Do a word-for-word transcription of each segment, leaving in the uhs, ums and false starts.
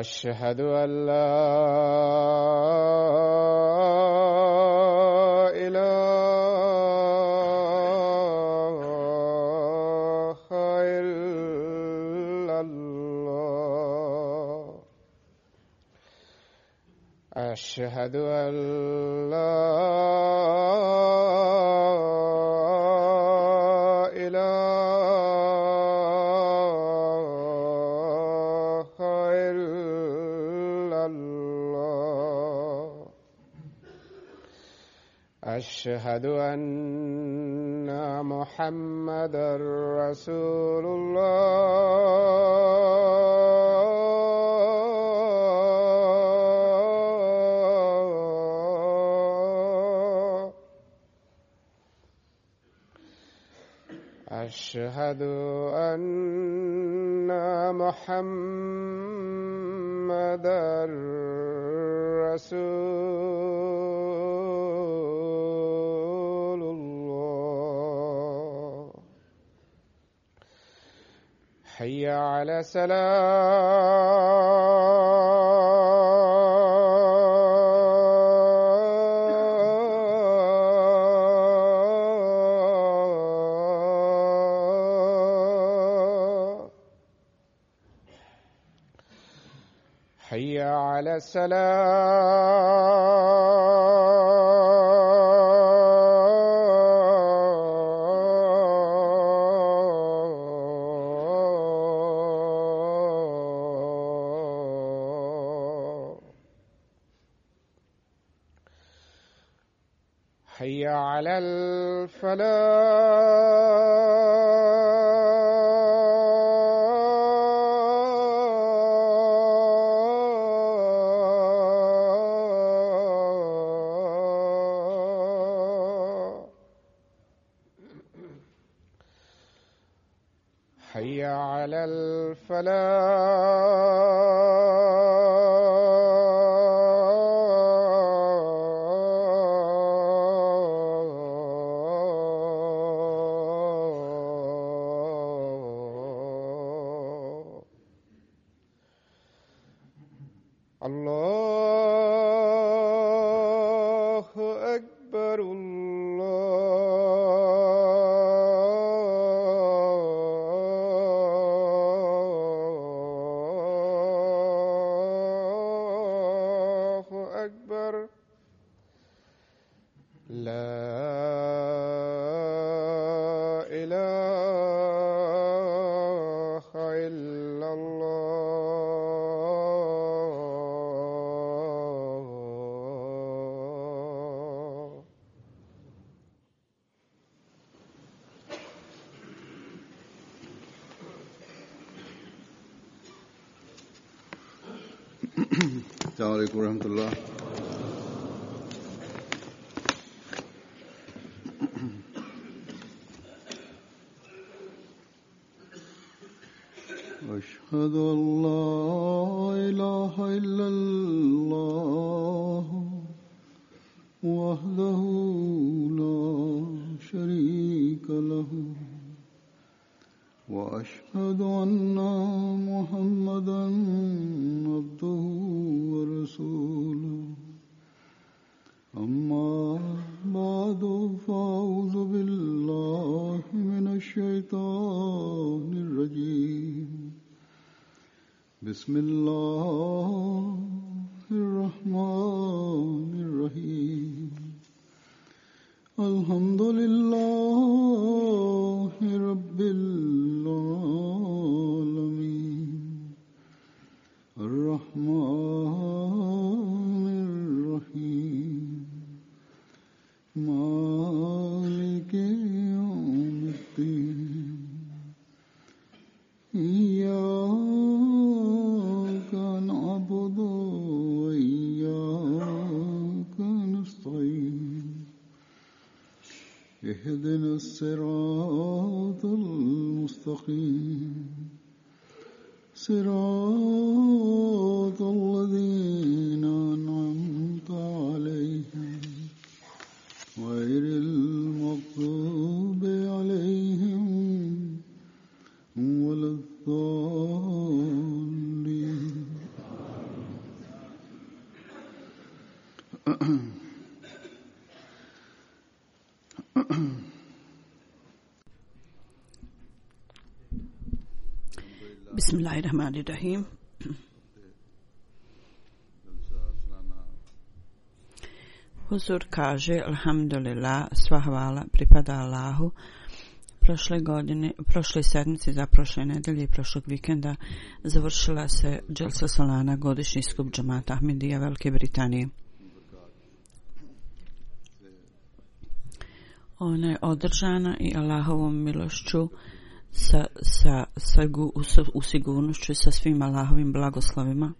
أشهد أن لا إله إلا الله أشهد أن لا أشهد أن محمدًا رسول الله أشهد أن محمدًا رسول الله حي على الصلاة حي على السلام حي على الفلاح حي على الفلاح الله أكبر الله أكبر لا إله إلا الله السلام عليكم ورحمة الله. أشهد أن لا إله إلا الله وحده لا شريك له وأشهد أن محمدًا عبده ورسوله أما بعد فأعوذ بالله من الشيطان الرجيم بسم الله الرحمن الرحيم الحمد لله رب العالمين الرحمن الرحيم مالك يوم الدين إياك نعبد وإياك نستعين اهدنا الصراط المستقيم صراط الذين أنعمت عليهم غير المغضوب عليهم ولا الضالين Bismillahirrahmanirrahim. Huzur kaže, alhamdulillah, sva hvala pripada Allahu. Prošle godine, prošle sedmice, za prošle nedelje i prošlog vikenda završila se Dželsa Salana, godišnji skup džamata Ahmedija Velike Britanije. Ona je održana i Allahovom milošću sa, sa, sa u, u sigurnošću i sa svim Allahovim blagoslovima.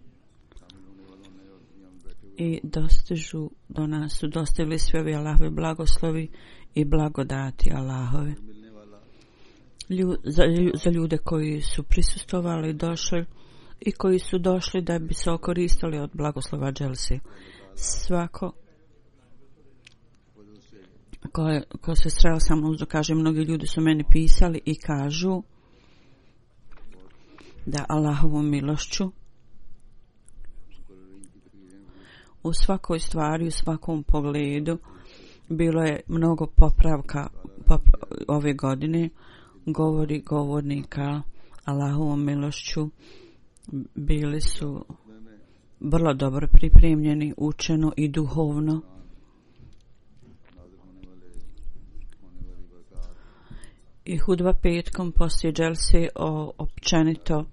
I dostižu, do nas su dostavili svi ovi Allahovi blagoslovi i blagodati Allahove. Lju, za, za ljude koji su prisustvovali, došli i koji su došli da bi se okoristili od blagoslova Dželsi. Svako ko, je, ko se sreo sa mnom, kaže, mnogi ljudi su meni pisali i kažu da Allahovom milošću u svakoj stvari, u svakom pogledu bilo je mnogo popravka popra- ove godine. Govori govornika Allahovom milošću bili su vrlo dobro pripremljeni, učeno i duhovno. I hudba petkom poslije Dželse, o, općenito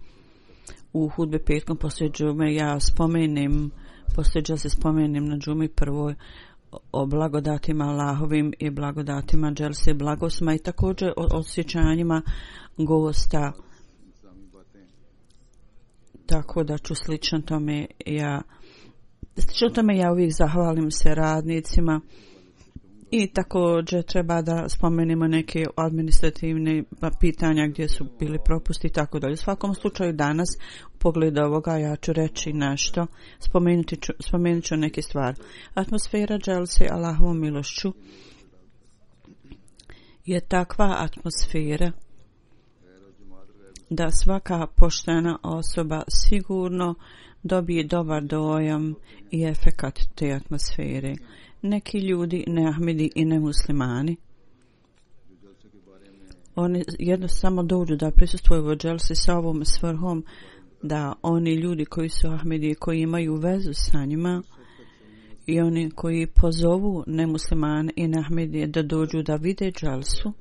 u hudbe petkom poslije džume ja spomenem, poslije Dželse spomenem na džumi prvoj o blagodatima Allahovim i blagodatima Dželse, blagosma i također o osjećanjima gosta. Tako da ću slično tome ja slično tome ja uvijek zahvalim se radnicima i također treba da spomenemo neke administrativne pitanja gdje su bili propusti i tako dalje. U svakom slučaju danas u pogledu ovoga ja ću reći nešto, spomenuti ću, spomenut ću neke stvari. Atmosfera Dželse Allahovom milošću je takva atmosfera da svaka poštena osoba sigurno dobije dobar dojam i efekat te atmosfere. Neki ljudi, ne Ahmedi i ne muslimani, oni jednostavno dođu da prisustvuju u Dželsi sa ovom svrhom da oni ljudi koji su Ahmedi, koji imaju vezu sa njima i oni koji pozovu nemuslimane i ne Ahmedije da dođu da vide Dželsu,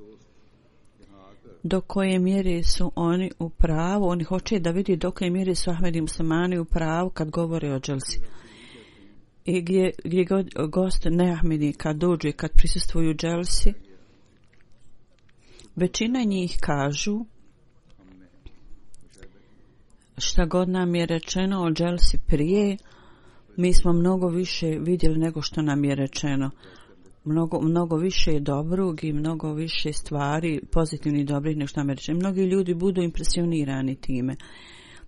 do koje mjere su oni u pravu, oni hoće da vidi do koje mjere su Ahmedi i muslimani u pravu kad govore o Dželsi. I gdje, gdje god gost neahmedi kad dođu i kad prisustvuju Dželsi, većina njih kažu šta god nam je rečeno o Dželsi prije, mi smo mnogo više vidjeli nego što nam je rečeno. Mnogo, mnogo više dobrog i mnogo više stvari pozitivnih i dobrih nego što nam je rečeno. Mnogi ljudi budu impresionirani time.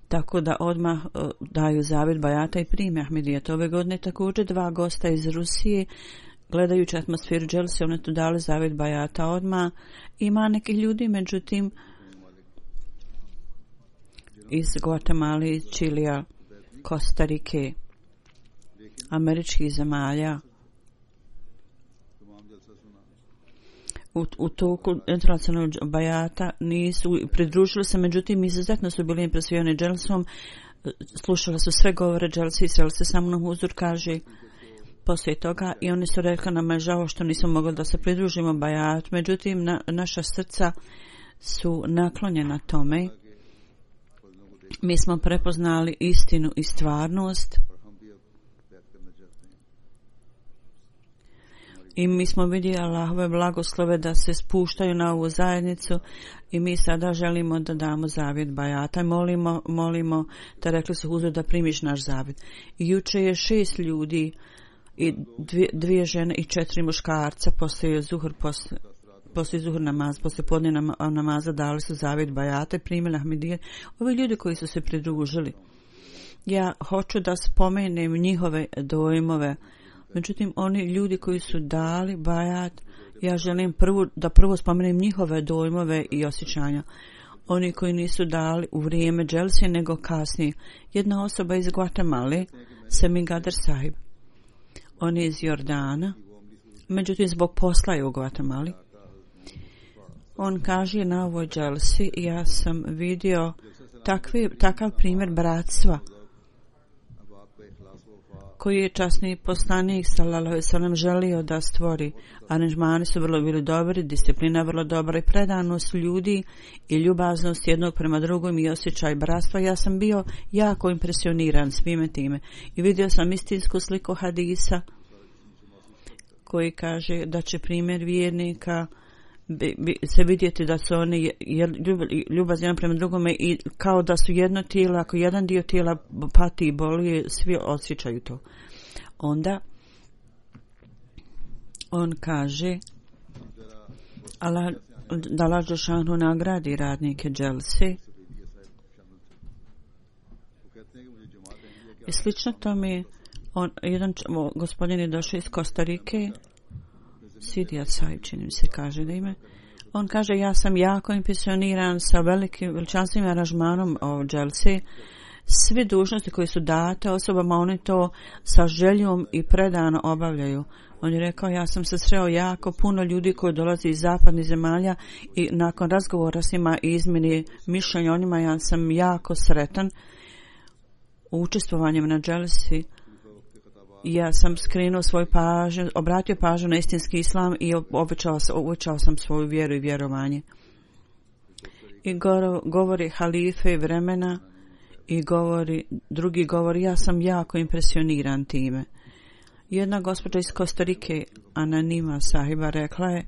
Tako da odmah uh, daju zavjet bajata i prime Ahmedijet. Ove godine također dva gosta iz Rusije, gledajući atmosferu Dželse, oni tu dali zavjet bajata odmah. Ima nekih ljudi, međutim, iz Guatemala, iz Čilija, Kostarike, američkih zemalja, U, u toku internacionalnog bajata nisu pridružili se, međutim izuzetno su bili impresionirani Dželsom, slušali su sve govore Dželsi i sreli se sa mnom. Huzur kaže poslije toga i oni su rekli nam je žao što nismo mogli da se pridružimo bajat, međutim na, naša srca su naklonjena tome. Mi smo prepoznali istinu i stvarnost i mi smo vidjeli Allahove blagoslove da se spuštaju na ovu zajednicu i mi sada želimo da damo zavjet bajata. Molimo, molimo da rekli su Huzur da primiš naš zavjet. I juče je šest ljudi i dvije, dvije žene i četiri muškarca poslije zuhur, poslije, poslije zuhur namaz, poslije podne namaza dali su zavjet bajata i primili Ahmedije. Ovi ljudi koji su se pridružili. Ja hoću da spomenem njihove dojmove. Međutim, oni ljudi koji su dali bajat, ja želim prvo, da prvo spomenem njihove dojmove i osjećanja. Oni koji nisu dali u vrijeme Dželse, nego kasnije. Jedna osoba iz Guatemala, Semi Gadar Sahib. On je iz Jordana, međutim zbog posla je u Guatemali. On kaže na ovoj dželsi, ja sam vidio takvi, takav primjer bratstva koji je časni poslanik sallallahu alejhi ve sellem želio da stvori. Aranžmani su vrlo bili dobri, disciplina vrlo dobra i predanost ljudi i ljubaznost jednog prema drugom i osjećaj bratstva. Ja sam bio jako impresioniran svime time i vidio sam istinsku sliku hadisa koji kaže da će primjer vjernika bi, bi, se vidjeti da su oni ljubazni jedan prema drugome i kao da su jedno tijelo, ako jedan dio tijela pati i boli, svi osjećaju to. Onda on kaže Allah, da Allah dželešanu nagradi radnike dželse i slično tome. On, jedan gospodin je došao iz Kostarike, Sidija Saib, čini mi se kaže da ime. On kaže, ja sam jako impresioniran sa velikim veličanstvenim aranžmanom o dželse. Sve dužnosti koje su date osobama, oni to sa željom i predano obavljaju. On je rekao, ja sam se sreo jako puno ljudi koji dolaze iz zapadnih zemalja i nakon razgovora s njima i izmjeni mišljenja o njima, ja sam jako sretan učestvovanjem na dželsi. Ja sam skrenuo svoj pažnju, obratio pažnju na istinski islam i obećao, obećao sam svoju vjeru i vjerovanje. I go, govori halife vremena i govori, drugi govori, ja sam jako impresioniran time. Jedna gospođa iz Kostarike, Ananima sahiba, rekla je,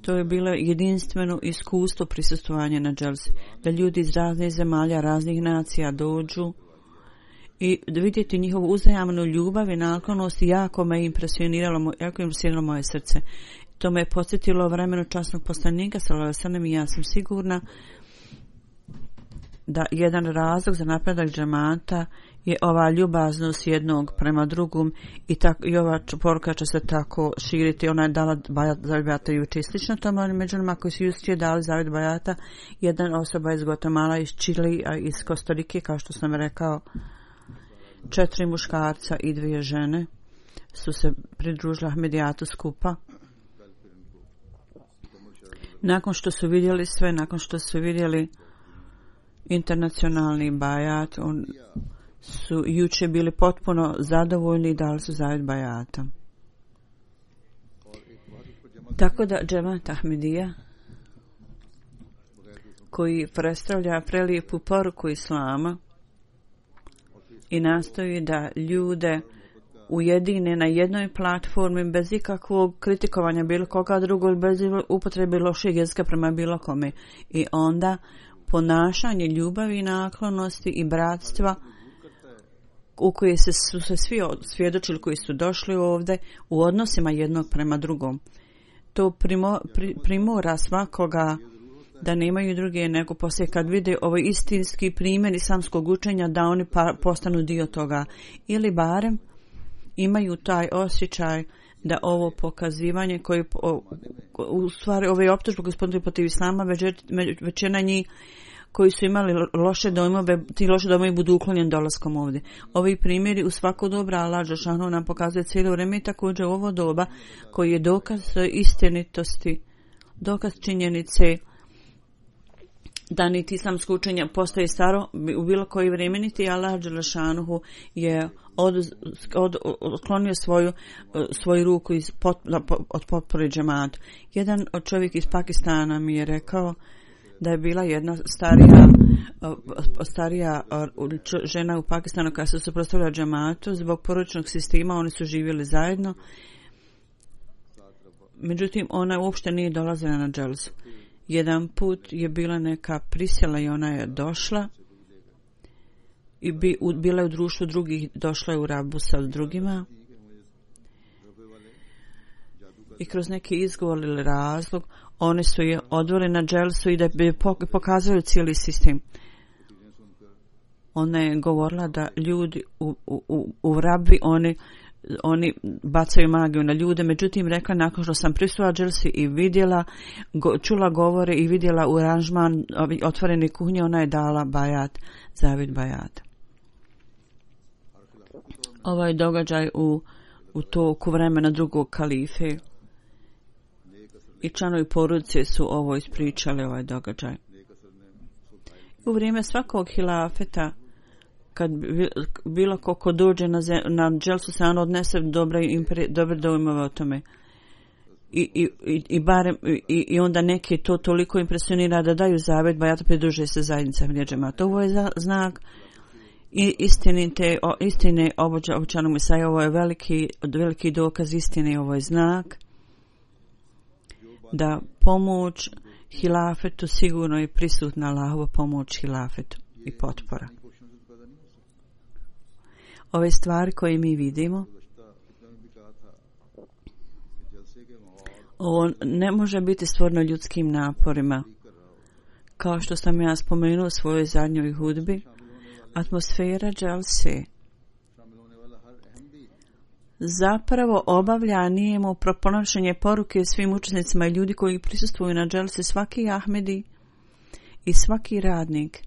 to je bilo jedinstveno iskustvo prisustvovanja na dželsi, da ljudi iz raznih zemalja, raznih nacija dođu i vidjeti njihovu uzajamnu ljubav i naklonost jako me impresioniralo, jako impresioniralo moje srce. To me je podsjetilo vremenu časnog poslanika sallallahu alejhi ve sellem i ja sam sigurna da jedan razlog za napredak džemata je ova ljubaznost jednog prema drugom i, tako, i ova poruka će se tako širiti. Ona je dala zavjet bajata juče. Slično tome, među nama koji su juče dali zavjet bajata, jedna osoba iz Guatemala, iz Čili, a iz Kostarike, kao što sam rekao, četiri muškarca i dvije žene su se pridružili Ahmedijatu skupa. Nakon što su vidjeli sve, nakon što su vidjeli internacionalni bajat, on su juče bili potpuno zadovoljni i dali su zavjet bajata. Tako da džemat Ahmedija, koji predstavlja prelijepu poruku islama i nastoji da ljude ujedine na jednoj platformi bez ikakvog kritikovanja bilo koga drugog, bez upotrebe lošeg jezika prema bilo kome. I onda ponašanje ljubavi, naklonosti i bratstva u koje se, su se svi svjedočili koji su došli ovdje u odnosima jednog prema drugom. To primo, pri, primora svakoga da nemaju druge nego poslije kad vide ovaj istinski primjer islamskog učenja da oni pa, postanu dio toga ili barem imaju taj osjećaj da ovo pokazivanje koje u stvari ove optužbe gospodine protiv islama većina njih koji su imali loše dojmove, ti loše dojmovi budu uklonjeni dolaskom ovdje. Ovi primjeri u svako dobro Allah dželešanu nam pokazuje cijelo vrijeme i također ovo doba koji je dokaz istinitosti, dokaz činjenice da niti islamsko učenje postaje staro u bilo koji vrijeme, niti Allah dželešanu je od, od, odklonio svoju, svoju ruku iz pot, od potpore džematu. Jedan od čovjek iz Pakistana mi je rekao da je bila jedna starija, starija žena u Pakistanu koja se suprotstavila džematu zbog porodičnog sistema, oni su živjeli zajedno. Međutim, ona uopšte nije dolazila na dželsu. Jedan put je bila neka prisjela i ona je došla i bi, u, bila je u društvu drugih, došla je u rabu sa drugima i kroz neki izgovor ili razlog oni su je odveli na dželsu i da bi pokazali cijeli sistem. Ona je govorila da ljudi u, u, u rabi oni oni bacaju magiju na ljude, međutim rekla nakon što sam prisutila dželsi i vidjela, go, čula govore i vidjela u aranžman otvorene kuhnje, ona je dala bajat, zavjet bajat. ovaj događaj u, u toku vremena drugog kalife i članovi porodice su ovo ispričali, ovaj događaj. U vrijeme svakog hilafeta, kad bilo ko dođe na, zem, na dželsu, se on odnese dobre, impre, dobre dojmove o tome. I, i, i, i, barem, i, i onda neki to toliko impresionira da daju zavjet, bajata pridruže se zajednica džemata. Ovo je za, znak i istinite, o, istine obočanog Mesaja. Ovo je veliki, veliki dokaz istine. Ovo je znak da pomoć hilafetu sigurno je prisutna, Allahova pomoć hilafetu i potpora. Ove stvari koje mi vidimo, ovo ne može biti stvoreno ljudskim naporima. Kao što sam ja spomenuo u svojoj zadnjoj hudbi, atmosfera dželse zapravo obavlja nijemo proponošenje poruke svim učesnicima i ljudi koji prisustvuju na dželsi, svaki Ahmedi i svaki radnik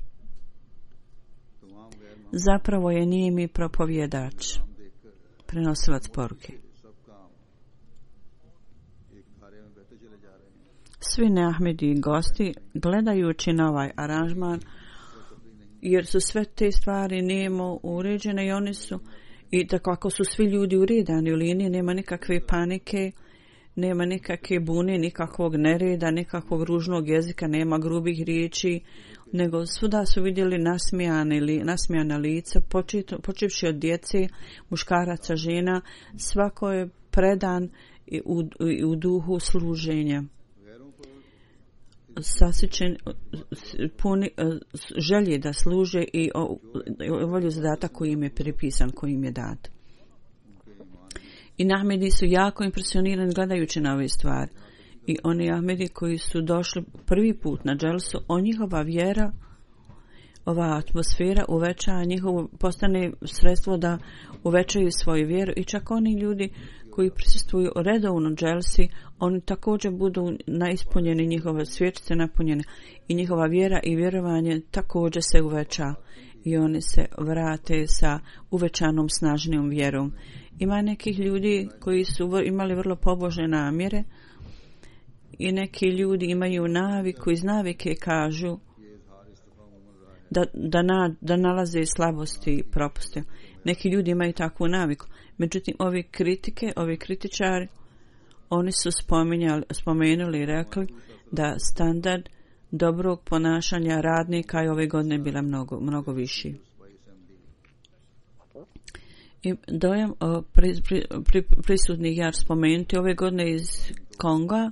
zapravo je nijemi propovjedač, prenosilac poruke. Svi neahmedi i gosti, gledajući na ovaj aranžman, jer su sve te stvari nijemo uređene i oni su, i tako ako su svi ljudi uredani u liniji, nema nikakve panike, nema nikakve bune, nikakvog nereda, nikakvog ružnog jezika, nema grubih riječi, nego svuda su vidjeli nasmijane, li, nasmijana lica, počevši od djece, muškaraca, žena, svako je predan u, u duhu služenja. Sasičen, puni želje da služe i volju zadatak koji im je pripisan, koji im je dat. I Ahmedi su jako impresionirani gledajući na ove stvari. I oni Ahmedi koji su došli prvi put na dželsu, o njihova vjera, ova atmosfera uveća njihovo, postane sredstvo da uvećaju svoju vjeru i čak oni ljudi koji prisustvuju redovno dželsi, oni također budu naispunjeni, njihove svječice napunjene i njihova vjera i vjerovanje također se uveća i oni se vrate sa uvećanom snažnijom vjerom. Ima nekih ljudi koji su imali vrlo pobožne namjere i neki ljudi imaju naviku, iz navike kažu da, da, na, da nalaze slabosti i propuste. Neki ljudi imaju takvu naviku. Međutim, ovi kritike, ovi kritičari, oni su spomenuli i rekli da standard dobrog ponašanja radnika je ove godine bila mnogo, mnogo viši. I dojam o pri, pri, pri, prisutnih ja spomenuti ove godine iz Konga,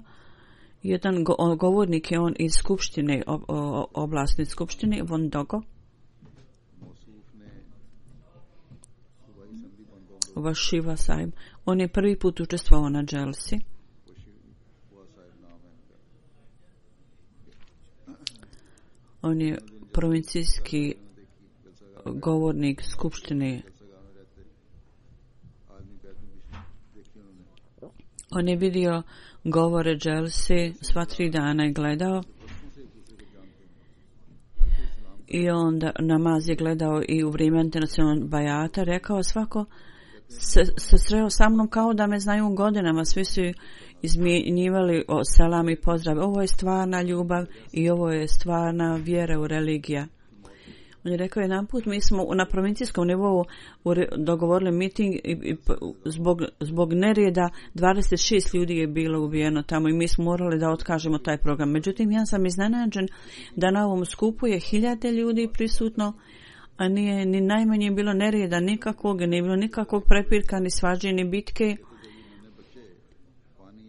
jedan go, govornik je on iz skupštine, o, o, oblasne skupštine, Von Dogo, Vašiva Saib. On je prvi put učestvovao na dželsi. On je provincijski govornik skupštine. On je vidio govore dželse, sva tri dana je gledao. I onda namaz je gledao i u vrijeme internacionalnog bajata. Rekao svako se, se sreo sa mnom kao da me znaju godinama. Svi su izmjenjivali o selam i pozdrav. Ovo je stvarna ljubav i ovo je stvarna vjera u religija. On je rekao jedan put, mi smo na provincijskom nivou dogovorili miting i, i zbog, zbog nereda dvadeset šest ljudi je bilo ubijeno tamo i mi smo morali da otkažemo taj program. Međutim, ja sam iznenađen da na ovom skupu je hiljade ljudi prisutno, a nije ni najmanje bilo nereda nikakvog, nije bilo nikakvog prepirka, ni svađe, ni bitke.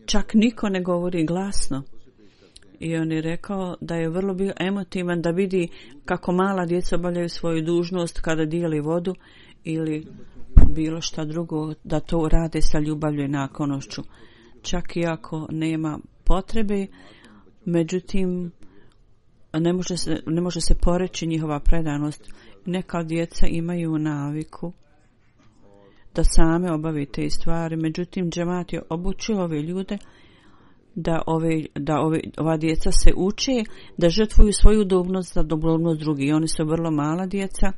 Čak niko ne govori glasno. I on je rekao da je vrlo bio emotivan da vidi kako mala djeca obavljaju svoju dužnost kada dijeli vodu ili bilo šta drugo, da to rade sa ljubavlju i naklonošću. Čak i ako nema potrebe, međutim ne može se, ne može se poreći njihova predanost. Neka djeca imaju naviku da same obave te stvari, međutim džemat je obučio ove ljude da ove da ove ova djeca se uče da žrtvuju svoju udobnost za dobrobnost drugih. Oni su vrlo mala djeca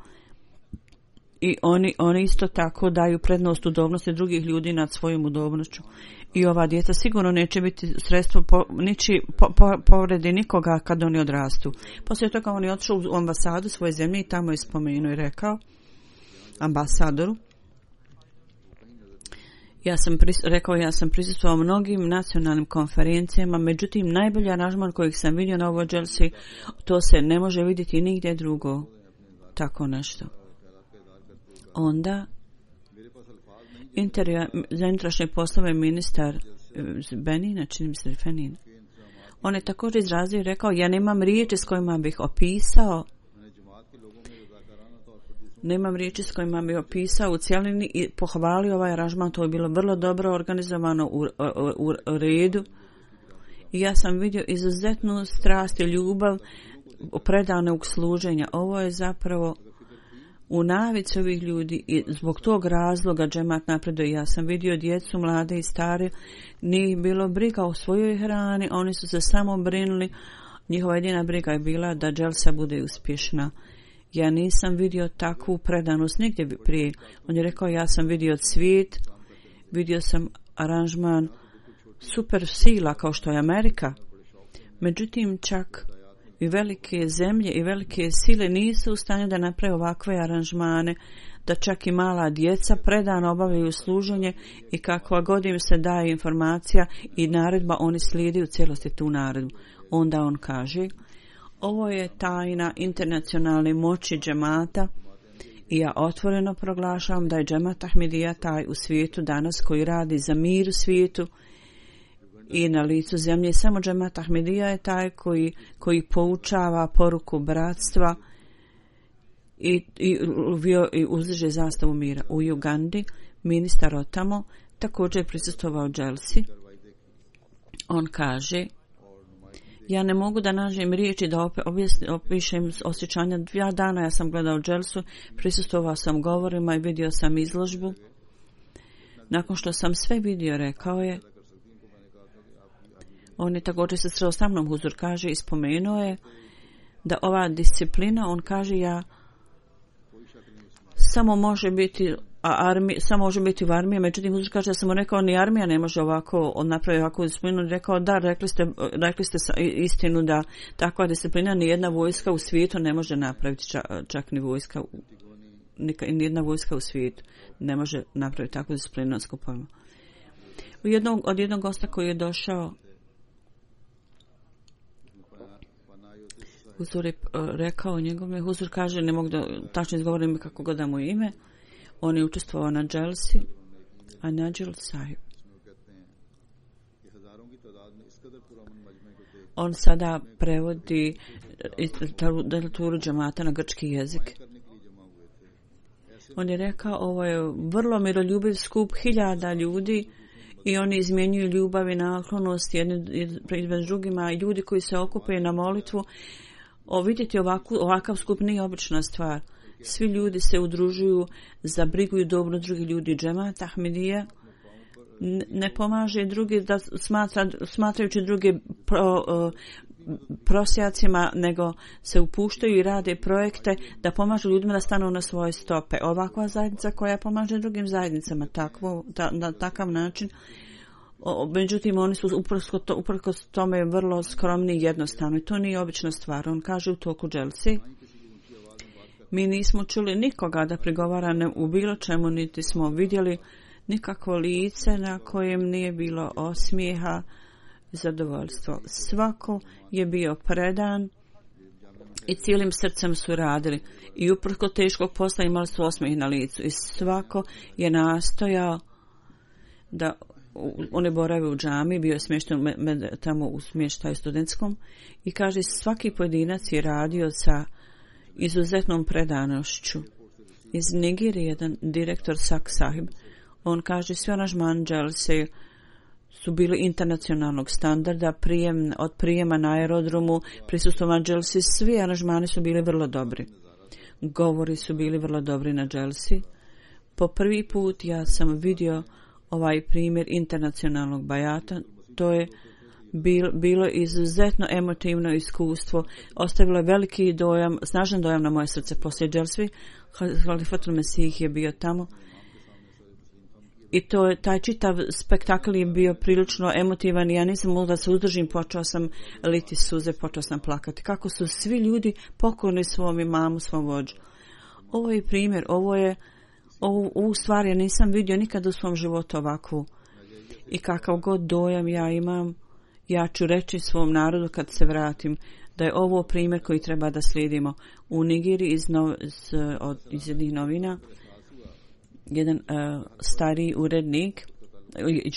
i oni, oni isto tako daju prednost udobnosti drugih ljudi nad svojom udobnošću. I ova djeca sigurno neće biti sredstvo po, niči po, po, povredi nikoga kad oni odrastu. Poslije toga on je otišao u ambasadu svoje zemlje i tamo je spomenuo i rekao ambasadoru, ja sam pris, rekao ja sam prisustvovao mnogim nacionalnim konferencijama, međutim najbolji aranžman kojeg sam vidio na ovoj dželsi, to se ne može vidjeti nigdje drugo. Tako nešto. Onda Interija, za unutrašnje poslove ministar Benina, čini mi se Fenin, on je također izrazio i rekao, ja nemam riječi s kojima bih opisao nemam riječi s kojima bih opisao u cijelini i pohvalio ovaj aranžman. To je bilo vrlo dobro organizovano u, u, u, u redu i ja sam vidio izuzetnu strast i ljubav predanog služenja. Ovo je zapravo u navici ovih ljudi i zbog tog razloga džemat napreduje. Ja sam vidio djecu, mlade i stare, nije bilo briga o svojoj hrani, oni su se samo brinuli, njihova jedina briga je bila da dželsa bude uspješna. Ja nisam vidio takvu predanost nigdje prije. On je rekao, ja sam vidio cvijet, vidio sam aranžman super sila kao što je Amerika. Međutim, čak i velike zemlje i velike sile nisu u stanju da naprave ovakve aranžmane, da čak i mala djeca predano obavljaju služenje i kakva god im se daje informacija i naredba, oni slijedi u cijelosti tu naredbu. Onda on kaže, ovo je tajna internacionalne moći džemata i ja otvoreno proglašavam da je džemat Ahmedija taj u svijetu danas koji radi za mir u svijetu i na licu zemlje. Samo džemat Ahmedija je taj koji, koji poučava poruku bratstva i, i, i uzdiže zastavu mira. U Ugandi ministar otamo također prisustvovao dželsi. On kaže, ja ne mogu da nađem riječi da op, opišem osjećanja. Dva dana ja sam gledao dželsu, prisustvovao sam govorima i vidio sam izložbu. Nakon što sam sve vidio, rekao je, on je također se sreo sa mnom, huzur kaže, i spomenuo je da ova disciplina, on kaže, ja samo može biti a armi, samo može biti u armiji, međutim huzur kaže, ja sam mu rekao, ni armija ne može ovako napraviti ovakvu disciplinu. Rekao, da, rekli ste, rekli ste istinu da takva disciplina ni jedna vojska u svijetu ne može napraviti, čak, čak ni vojska, ni jedna vojska u svijetu ne može napraviti takvu disciplinu na skupovima. Jednog, od jednog gosta koji je došao, huzur je rekao njegove, huzur kaže, ne mogu da tačno izgovorim kako god da mu ime, on je učestvovao na dželsi, a Nađil Sahib. On sada prevodi literaturu džemata na grčki jezik. On je rekao, ovo je vrlo miroljubiv skup hiljada ljudi i oni izmjenjuju ljubav i naklonost jedni pred drugima. Ljudi koji se okupaju na molitvu, o, vidjeti ovakvu, ovakav skup nije obična stvar. Svi ljudi se udružuju za brigu i dobro drugih ljudi. Džemat Ahmedija ne pomaže drugi da smatra, smatrajući druge pro, uh, prosjacima, nego se upuštaju i rade projekte da pomažu ljudima da stanu na svoje stope. Ovakva zajednica koja pomaže drugim zajednicama takvo, ta, na takav način. O, međutim, oni su uprkos to, uprkos tome vrlo skromni i jednostavni. To nije obična stvar. On kaže u toku dželsi, mi nismo čuli nikoga da prigovara u bilo čemu, niti smo vidjeli nikakvo lice na kojem nije bilo osmijeha i zadovoljstvo. Svako je bio predan i cijelim srcem su radili i uprko teškog posla imali su osmijeh na licu i svako je nastojao da on je boravio u džami, bio je smješten tamo u smještaju studentskom i kaže, svaki pojedinac je radio sa izuzetnom predanošću. Iz Nigerije jedan direktor Sak Sahib, on kaže, svi aranžmani dželse su bili internacionalnog standarda, prijem, od prijema na aerodromu, prisustvovanja dželsi, svi aranžmani su bili vrlo dobri. Govori su bili vrlo dobri na dželsi. Po prvi put ja sam vidio ovaj primjer internacionalnog bajata, to je Bilo, bilo izuzetno emotivno iskustvo, ostavilo je veliki dojam, snažan dojam na moje srce poslije dželsvi. Halifatul Mesih je bio tamo i to je, taj čitav spektakl je bio prilično emotivan i ja nisam mogla da se uzdržim, počela sam liti suze, počela sam plakati. Kako su svi ljudi pokorni svom imamu, svom vođu. Ovo je primjer, ovo je ovu, ovu stvar ja nisam vidio nikada u svom životu ovakvu. I kakav god dojam ja imam, ja ću reći svom narodu kad se vratim da je ovo primjer koji treba da slijedimo. U Nigeriji iz, nov, iz, od, iz jednih novina jedan uh, stariji urednik,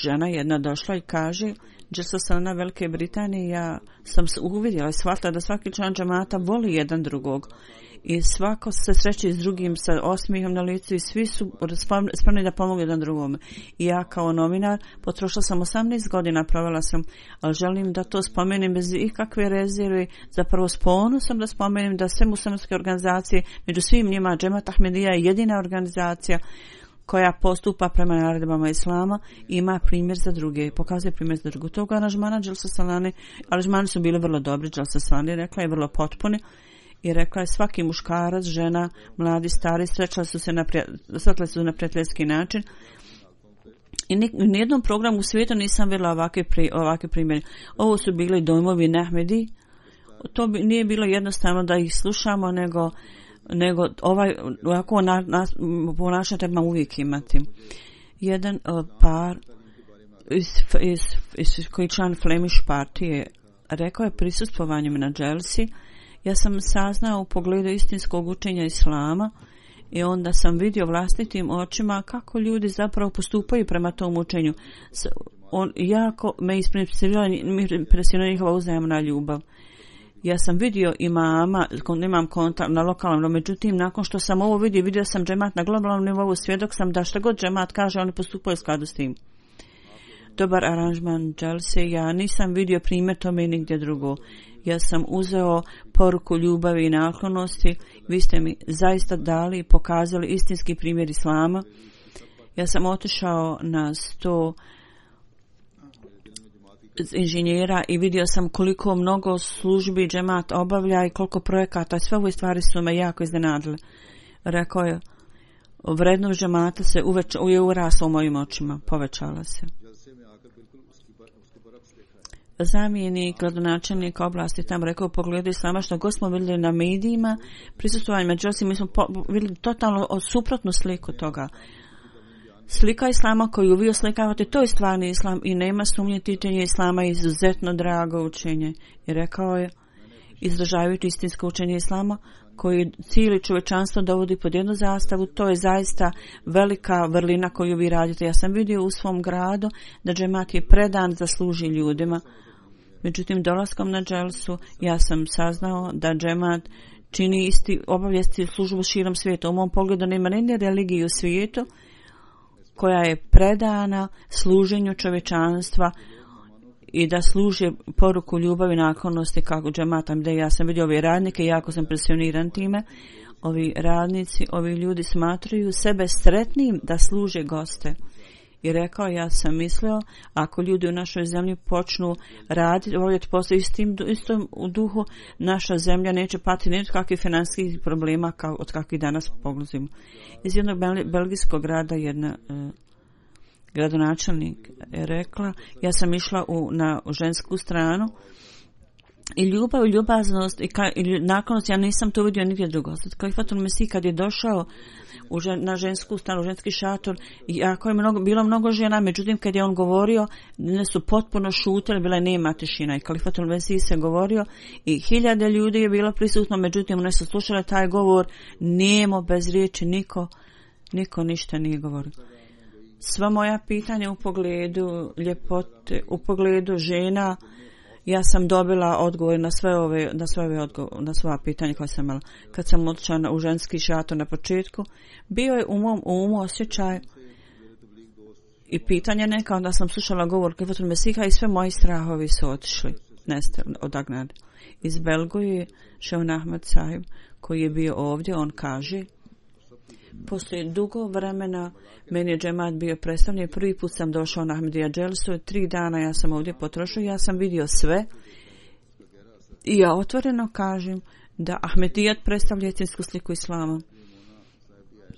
žena jedna došla i kaže že sam na Velike Britanije, ja sam uvidjela i shvatila da svaki član džamata voli jedan drugog i svako se sreće s drugim sa osmihom na licu i svi su spremni da pomogu jedan drugome. I ja kao novinar potrošila sam osamnaest godina, provela sam, ali želim da to spomenem bez ikakve rezerve, zapravo s ponosom da spomenem da sve muslimanske organizacije, među svim njima Džemat Ahmedija je jedina organizacija koja postupa prema naredbama islama, ima primjer za druge, pokazuje primjer za druge. Toga aranžmana Dželsa Salane, aranžmani su bili vrlo dobri, Dželsa Salane rekla je vrlo potpuni i rekla je svaki muškarac, žena, mladi, stari, srećali su se na, sretali su na prijateljski način. I ni, u nijednom programu u svijetu nisam vidjela ovakve, pri, ovakve primjere. Ovo su bili dojmovi Nahmedi, to bi, nije bilo jednostavno da ih slušamo, nego nego ovaj ovako na, na, ponašanje treba uvijek imati. Jedan uh, par iz, iz, iz koji član Flemish partije rekao je prisustvovanjem na dželsi, ja sam saznao u pogledu istinskog učenja islama i onda sam vidio vlastitim očima kako ljudi zapravo postupaju prema tom učenju. On jako me impresionira njihova uzajamna ljubav. Ja sam vidio imama, imam kontakt na lokalnom, međutim, nakon što sam ovo vidio, vidio sam džemat na globalnom nivou, svjedok sam da što god džemat kaže, oni postupaju u skladu s tim. Dobar aranžman dželse, ja nisam vidio primjer tome nigdje drugo. Ja sam uzeo poruku ljubavi i naklonosti, vi ste mi zaista dali i pokazali istinski primjer islama. Ja sam otišao na sto inženjera i vidio sam koliko mnogo službi džemat obavlja i koliko projekata. Sve ove stvari su me jako iznenadile. Rekao je, vrednost džemata se uveč, je urasla u mojim očima, povećala se. Zamjenik gradonačelnika oblasti tam rekao, pogledaj islama što god smo vidjeli na medijima, prisustvovanje međutim, mi smo po, vidjeli totalno suprotnu sliku toga. Slika islama koju vi oslikavate, to je stvarni islam i nema sumnje, tičenje islama je izuzetno drago učenje. I rekao je, izražavajući istinsko učenje islama, koji cijeli čovečanstvo dovodi pod jednu zastavu, to je zaista velika vrlina koju vi radite. Ja sam vidio u svom gradu da džemat je predan da služi ljudima. Međutim, dolaskom na dželsu ja sam saznao da džemat čini isti obavijesti službu širom svijeta. U mom pogledu nema nijedne religije u svijetu koja je predana služenju čovečanstva i da služe poruku ljubavi i naklonosti kako džemata. Da ja sam vidio ove radnike, jako sam impresioniran time. Ovi radnici, ovi ljudi smatraju sebe sretnim da služe goste. I rekao, ja sam mislio, ako ljudi u našoj zemlji počnu raditi, obavljati posao istim, istom u duhu, naša zemlja neće patiti ni od kakvih financijskih problema kao od kakvih danas poglazimo. Iz jednog belgijskog grada jedna eh, gradonačelnik je rekla, ja sam išla u, na u žensku stranu i ljubav i ljubaznost i, ka, i naklonost, ja nisam to vidio nigdje drugo. Halifatul Mesih kad je došao u žen, na žensku stranu, u ženski šator, jako je mnogo, bilo mnogo žena, međutim kad je on govorio, ne su potpuno šutili, bila je nema tišina i Halifatul Mesih se govorio i hiljade ljudi je bilo prisutno, međutim one su slušale taj govor, nemo bez riječi, niko, niko ništa nije govorio. Sva moja pitanja u pogledu ljepote, u pogledu žena, ja sam dobila odgovor na sve ove, na sve ove odgovor, na sva pitanja koja sam imala. Kad sam otišla u ženski šator na početku, bio je u mom umu osjećaj i pitanja neka, onda sam slušala govor Halifatul Mesiha i sve moji strahovi su otišli, neste, odagnali. Iz Belgije Šeun Ahmed Sahib, koji je bio ovdje, on kaže, Poslije dugo vremena meni je džemat bio predstavljen. Prvi put sam došao na Ahmedija dželsu. Tri dana ja sam ovdje potrošio. Ja sam vidio sve. I ja otvoreno kažem da Ahmedijat predstavlja istinsku sliku islama.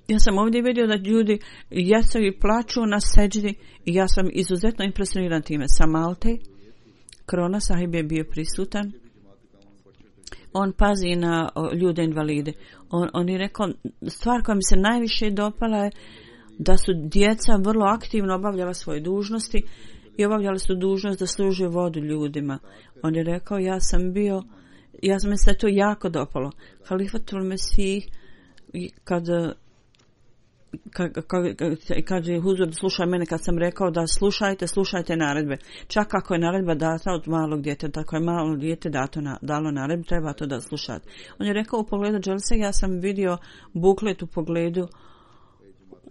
Ja sam ovdje vidio da ljudi jesu i plaču na seđdi i ja sam izuzetno impresioniran time. Sa Malte, Krona sahib je bio prisutan. On pazi na o, ljude invalide. On, on je rekao, stvar koja mi se najviše dopala je da su djeca vrlo aktivno obavljala svoje dužnosti i obavljali su dužnost da služe vodu ljudima. On je rekao, ja sam bio, ja sam mi se to jako dopalo. Halifatul Mesih, kad Kad, kad, kad je huzur slušao mene kad sam rekao da slušajte, slušajte naredbe. Čak ako je naredba data od malog djeteta, ako je malo dijete dato na, dalo naredbu, treba to da slušate. On je rekao u pogledu dželse, ja sam vidio buklet u pogledu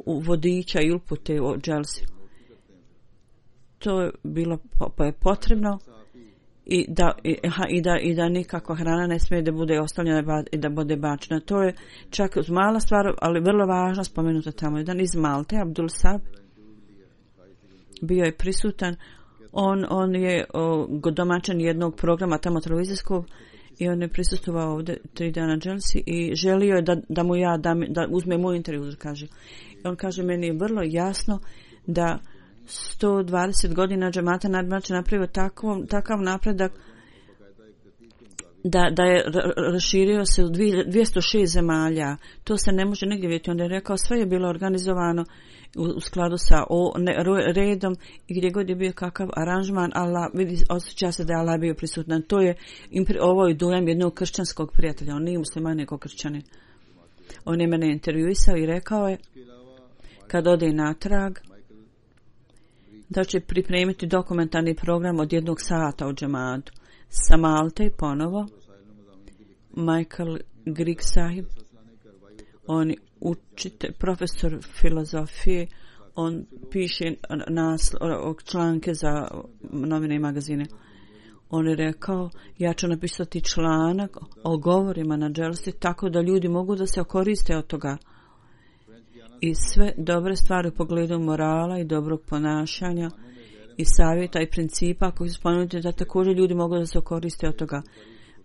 u vodiča i upute o dželsi. To je bilo po, je potrebno i da, i, i, da, i da nikako hrana ne smije da bude ostavljena i da bude bačena. To je čak mala stvar, ali vrlo važno spomenuta tamo. Jedan iz Malte, Abdul Sab, bio je prisutan. On, on je o, domaćan jednog programa tamo televizijskog i on je prisustvovao ovdje tri dana dželsi i želio je da, da mu ja da, da uzme moj intervju, kaže. I on kaže, meni je vrlo jasno da sto dvadeset godina džemata nadmače napravio takav, takav napredak da, da je raširio se u dvjesto šest zemalja. To se ne može negdje vidjeti. On je rekao, sve je bilo organizovano u, u skladu sa o, ne, redom i gdje god je bio kakav aranžman, Allah, vidi, osjeća se da je Allah bio prisutan. To je, ovo je dojam jednog kršćanskog prijatelja. On nije musliman, nego kršćanin. On je mene intervjuisao i rekao je, kad ode natrag, da će pripremiti dokumentarni program od jednog sata u džematu. Sa Malte ponovo, Michael Grigg sahib, on je učite, profesor filozofije, on piše nasl, članke za novine i magazine. On je rekao, ja ću napisati članak o govorima na dželsi tako da ljudi mogu da se koriste od toga. I sve dobre stvari u pogledu morala i dobrog ponašanja i savjeta i principa koji su spomenuti da također ljudi mogu da se koriste od toga.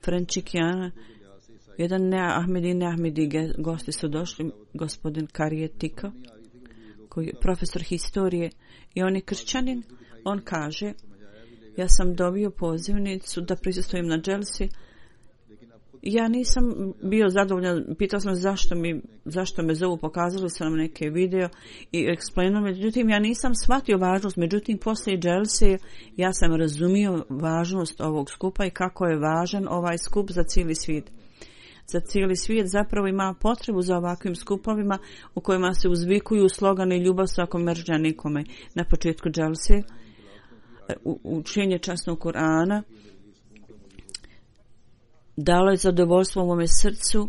Frenčikijana, jedan ne Ahmedi, ne Ahmedi gosti su došli, gospodin Karijetika, koji je profesor historije i on je kršćanin. On kaže, ja sam dobio pozivnicu da prisustvujem na dželsi. Ja nisam bio zadovoljan, pitao sam zašto, mi, zašto me zovu, pokazali su nam neke video i eksplanuo, međutim ja nisam shvatio važnost, međutim poslije dželse ja sam razumio važnost ovog skupa i kako je važan ovaj skup za cijeli svijet. Za cijeli svijet zapravo ima potrebu za ovakvim skupovima u kojima se uzvikuju slogani ljubav svakom mržnja nikome. Na početku dželse učenje časnog Kur'ana dalo je zadovoljstvo u mome srcu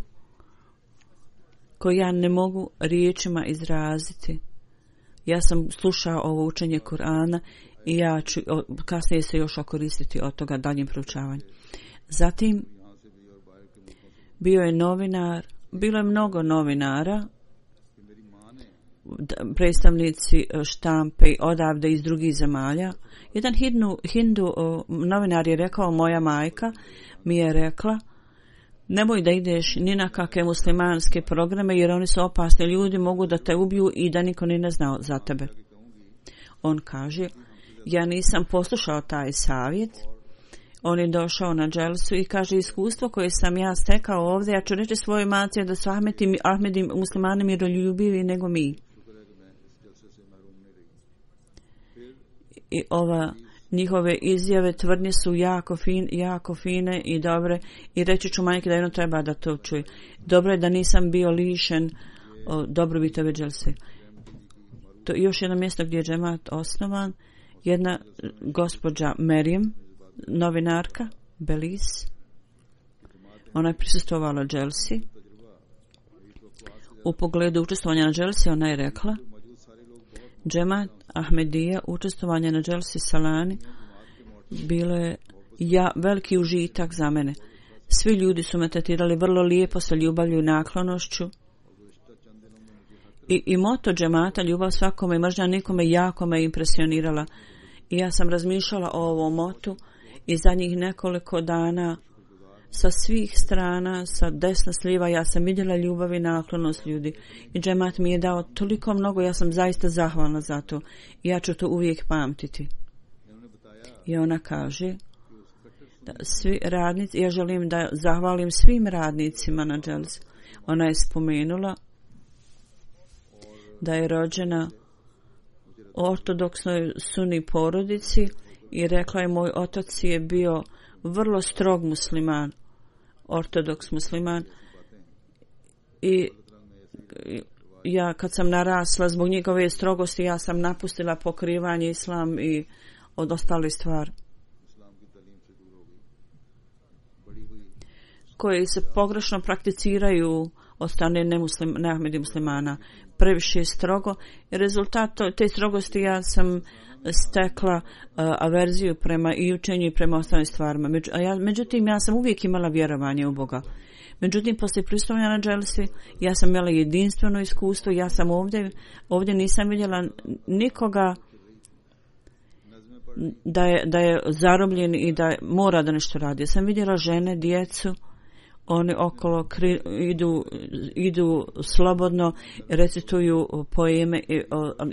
koje ja ne mogu riječima izraziti. Ja sam slušao ovo učenje Kur'ana i ja ću kasnije se još okoristiti od toga daljim proučavanjem. Zatim bio je novinar, bilo je mnogo novinara, predstavnici štampe odavde iz drugih zemalja. Jedan hindu, hindu novinar je rekao, moja majka mi je rekla, nemoj da ideš ni na kakve muslimanske programe jer oni su opasni, ljudi mogu da te ubiju i da niko ni ne zna za tebe. On kaže, ja nisam poslušao taj savjet. On je došao na dželsu i kaže, iskustvo koje sam ja stekao ovdje, ja ću reći svojoj maci da su Ahmedi, Ahmedi muslimani miroljubivi nego mi. I ova njihove izjave, tvrdnje su jako, fin, jako fine i dobre i reći ću majke da jedno treba da to čuje. Dobro je da nisam bio lišen o dobrobiti ove dželse. To je još jedno mjesto gdje je džemat osnovan. Jedna gospođa Merijem, novinarka, Belis, ona je prisustvovala dželsi. U pogledu učestvovanja na dželsi ona je rekla, džemat Ahmedija, učestvovanje na dželsi Salani bilo je ja, veliki užitak za mene. Svi ljudi su me tretirali vrlo lijepo sa ljubavlju i naklonošću I, i moto džemata, ljubav svakome i mržnja nikome, jako me impresionirala. I ja sam razmišljala o ovom motu i zadnjih nekoliko dana sa svih strana, sa desna sliva, ja sam vidjela ljubav i naklonost ljudi. I džemat mi je dao toliko mnogo, ja sam zaista zahvalna za to. I ja ću to uvijek pamtiti. I ona kaže da svi radnici, ja želim da zahvalim svim radnicima na dželsi. Ona je spomenula da je rođena ortodoksnoj suni porodici i rekla je moj otac je bio vrlo strog musliman, ortodoks musliman i ja kad sam narasla zbog njegove strogosti ja sam napustila pokrivanje islam i od ostali stvari koji se pogrešno prakticiraju od strane nemuslim, neahmedi muslimana previše strogo i rezultat te strogosti ja sam stekla uh, averziju prema i učenju i prema ostalim stvarima. Među, a ja, međutim, ja sam uvijek imala vjerovanje u Boga. Međutim, poslije pristojanja na dželsi, ja sam imala jedinstveno iskustvo, ja sam ovdje, ovdje nisam vidjela nikoga da je, da je zarobljen i da mora da nešto radi. Ja sam vidjela žene, djecu, oni okolo kri, idu, idu slobodno, recituju poeme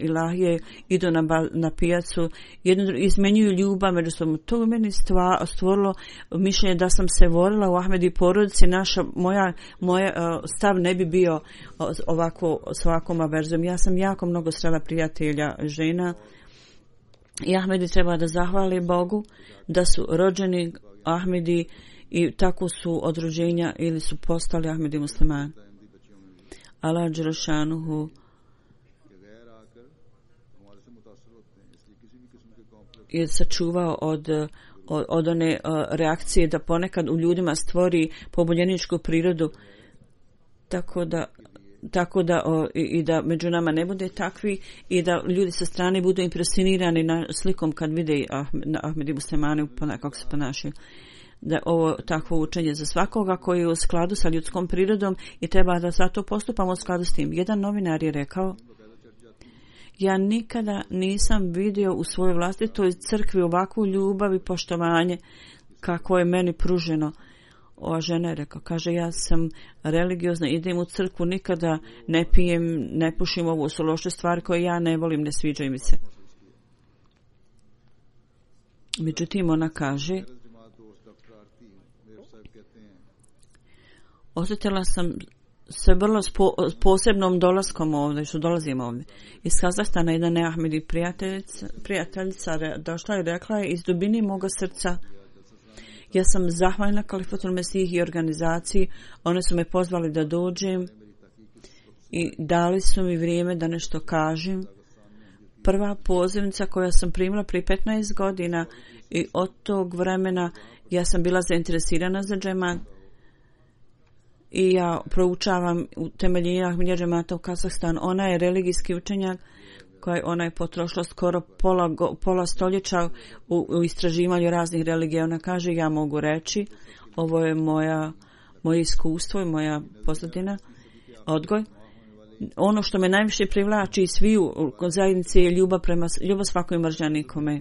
ilahije, idu na, na pijacu, jedno, izmenjuju ljubav međusobno. To u meni stva, stvorilo mišljenje da sam se volila u Ahmedi porodici, naša, moja, moja stav ne bi bio ovako, s ovakvom averzijom. Ja sam jako mnogo srela prijatelja žena i Ahmedi treba da zahvali Bogu da su rođeni Ahmedi i tako su od rođenja ili su postali Ahmedi muslimani. Allah dželešanuhu je sačuvao od, od, od one uh, reakcije da ponekad u ljudima stvori poboljeničku prirodu tako da tako da o, i, i da među nama ne bude takvi i da ljudi sa strane budu impresionirani na slikom kad vide Ahmed, Ahmedi muslimani kako se ponašaju. Da ovo takvo učenje za svakoga koji je u skladu sa ljudskom prirodom i treba da zato postupamo u skladu s tim. Jedan novinar je rekao, ja nikada nisam vidio u svojoj vlastitoj crkvi ovakvu ljubav i poštovanje kako je meni pruženo. Ova žena je rekao, kaže, ja sam religiozna, idem u crkvu, nikada ne pijem, ne pušim, ovo su loše stvari koje ja ne volim, ne sviđaju mi se. Međutim, ona kaže, osjetila sam se vrlo spo, posebnom dolaskom ovdje, što dolazimo ovdje. Iz Kazahstana jedna neahmedi prijateljica, prijateljica došla i rekla je, iz dubine moga srca, ja sam zahvalna Kalifatul Mesih i organizaciji, one su me pozvali da dođem i dali su mi vrijeme da nešto kažem. Prva pozivnica koja sam primila prije petnaest godina i od tog vremena ja sam bila zainteresirana za džemat. I ja proučavam utemeljenje Ahmedija džemata u Kazahstan. Ona je religijski učenjak koja ona je potrošila skoro pola, pola stoljeća u, u istraživanju raznih religija. Ona kaže, ja mogu reći, ovo je moja, moje iskustvo i moja pozadina, odgoj. Ono što me najviše privlači iz sviju zajednice je ljubav prema ljubav svakoj mržnja nikome.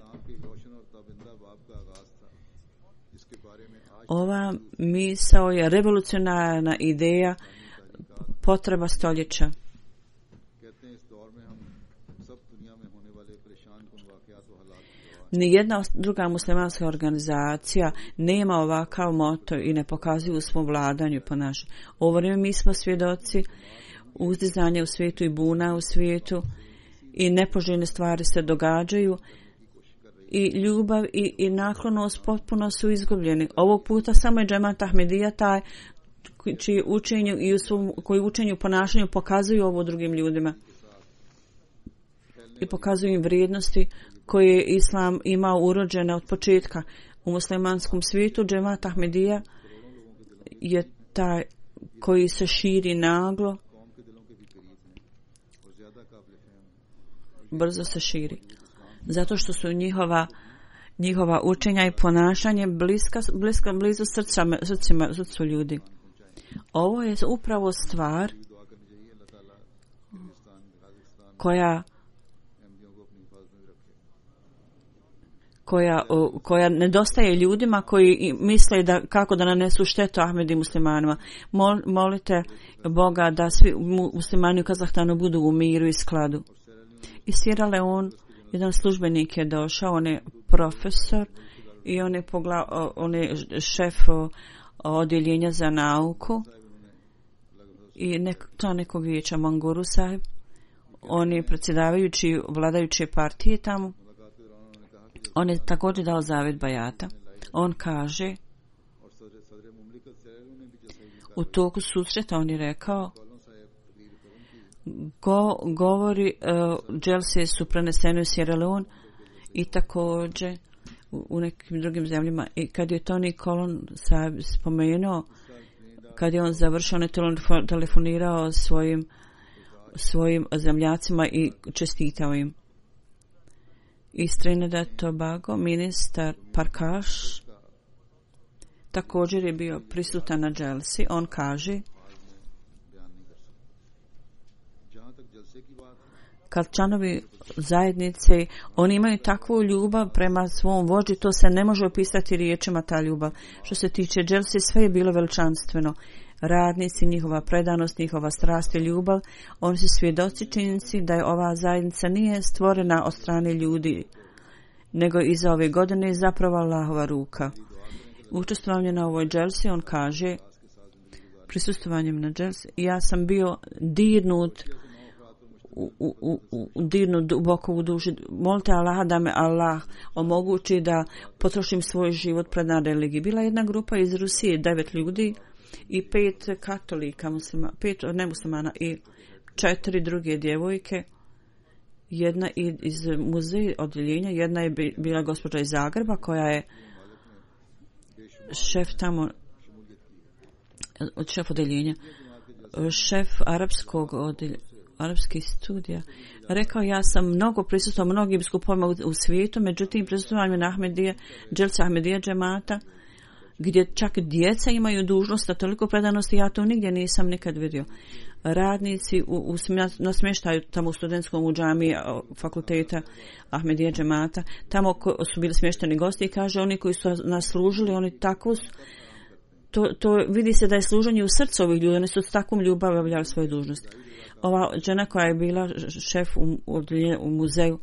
Ova misao je revolucionarna ideja, potreba stoljeća. Nijedna druga muslimanska organizacija nema ovakav moto i ne pokazuju u svom vladanju po našem. Ovo vrijeme mi smo svjedoci uzdizanja u svijetu i buna u svijetu i nepoželjne stvari se događaju. I ljubav i, i naklonost potpuno su izgubljeni. Ovog puta samo je džemat Ahmedija taj čiji učenju i u svom, koji učenju i ponašanju pokazuju ovo drugim ljudima. I pokazuju im vrijednosti koje je Islam imao urođene od početka. U muslimanskom svijetu džemat Ahmedija je taj koji se širi naglo. Brzo se širi. Zato što su njihova, njihova učenja i ponašanje bliska, bliska, blizu srca, srcima, srcu ljudi. Ovo je upravo stvar koja koja koja nedostaje ljudima koji misle da kako da nanesu štetu Ahmedi muslimanima. Mol, molite Boga da svi muslimani u Kazahstanu budu u miru i skladu. Iz Sierra Leone jedan službenik je došao, on je profesor i on je, pogla, on je šef odjeljenja za nauku i nek, to nekog vijeća Manguru sahib. On je predsjedavajući vladajuće partije tamo. On je također dao zavjet bajata. On kaže, u toku susreta on je rekao, go, govori uh, dželse su prenesene u Sierra Leone i također u, u nekim drugim zemljama. I kad je Tony Colon spomenuo, kad je on završio, on je telefonirao svojim svojim zemljacima i čestitao im. Iz Trinidad Tobago ministar Parkaš također je bio prisutan na dželsi. On kaže, kad članovi zajednice, oni imaju takvu ljubav prema svom vođi, to se ne može opisati riječima ta ljubav. Što se tiče dželsi, sve je bilo veličanstveno. Radnici, njihova predanost, njihova strast i ljubav, oni su svjedoci činjenici da je ova zajednica nije stvorena od strane ljudi, nego iza ove godine je zapravo Allahova ruka. Učestvovanje na ovoj dželsi, on kaže, prisustvovanjem na dželsi, ja sam bio dirnut u, u, u, u dirnut duboko u duši. Molite Allaha da me Allah omogući da potrošim svoj život pred na religiji. Bila jedna grupa iz Rusije, devet ljudi i pet katolika, muslima, pet nemuslimana i četiri druge djevojke. Jedna iz muzeja odjeljenja, jedna je bila gospođa iz Zagreba koja je šef tamo, šef odjeljenja, šef arapskog odjeljenja, arapskih studija. Rekao, ja sam mnogo prisustvovao mnogim skupovima u, u svijetu, međutim prisustvovao na Ahmedije, dželsa Ahmedije džemata, gdje čak djeca imaju dužnost, a toliko predanosti, ja to nigdje nisam nikad vidio. Radnici u, u, na smještaju tamo u studentskom u džamiji fakulteta Ahmedije džemata, tamo ko, su bili smješteni gosti i kaže, oni koji su nas služili, oni tako su, to, to vidi se da je služenje u srcu ovih ljudi, oni su s takvom ljubavom obavljali svoju dužnost. Ova žena koja je bila šef u, u, u muzeju,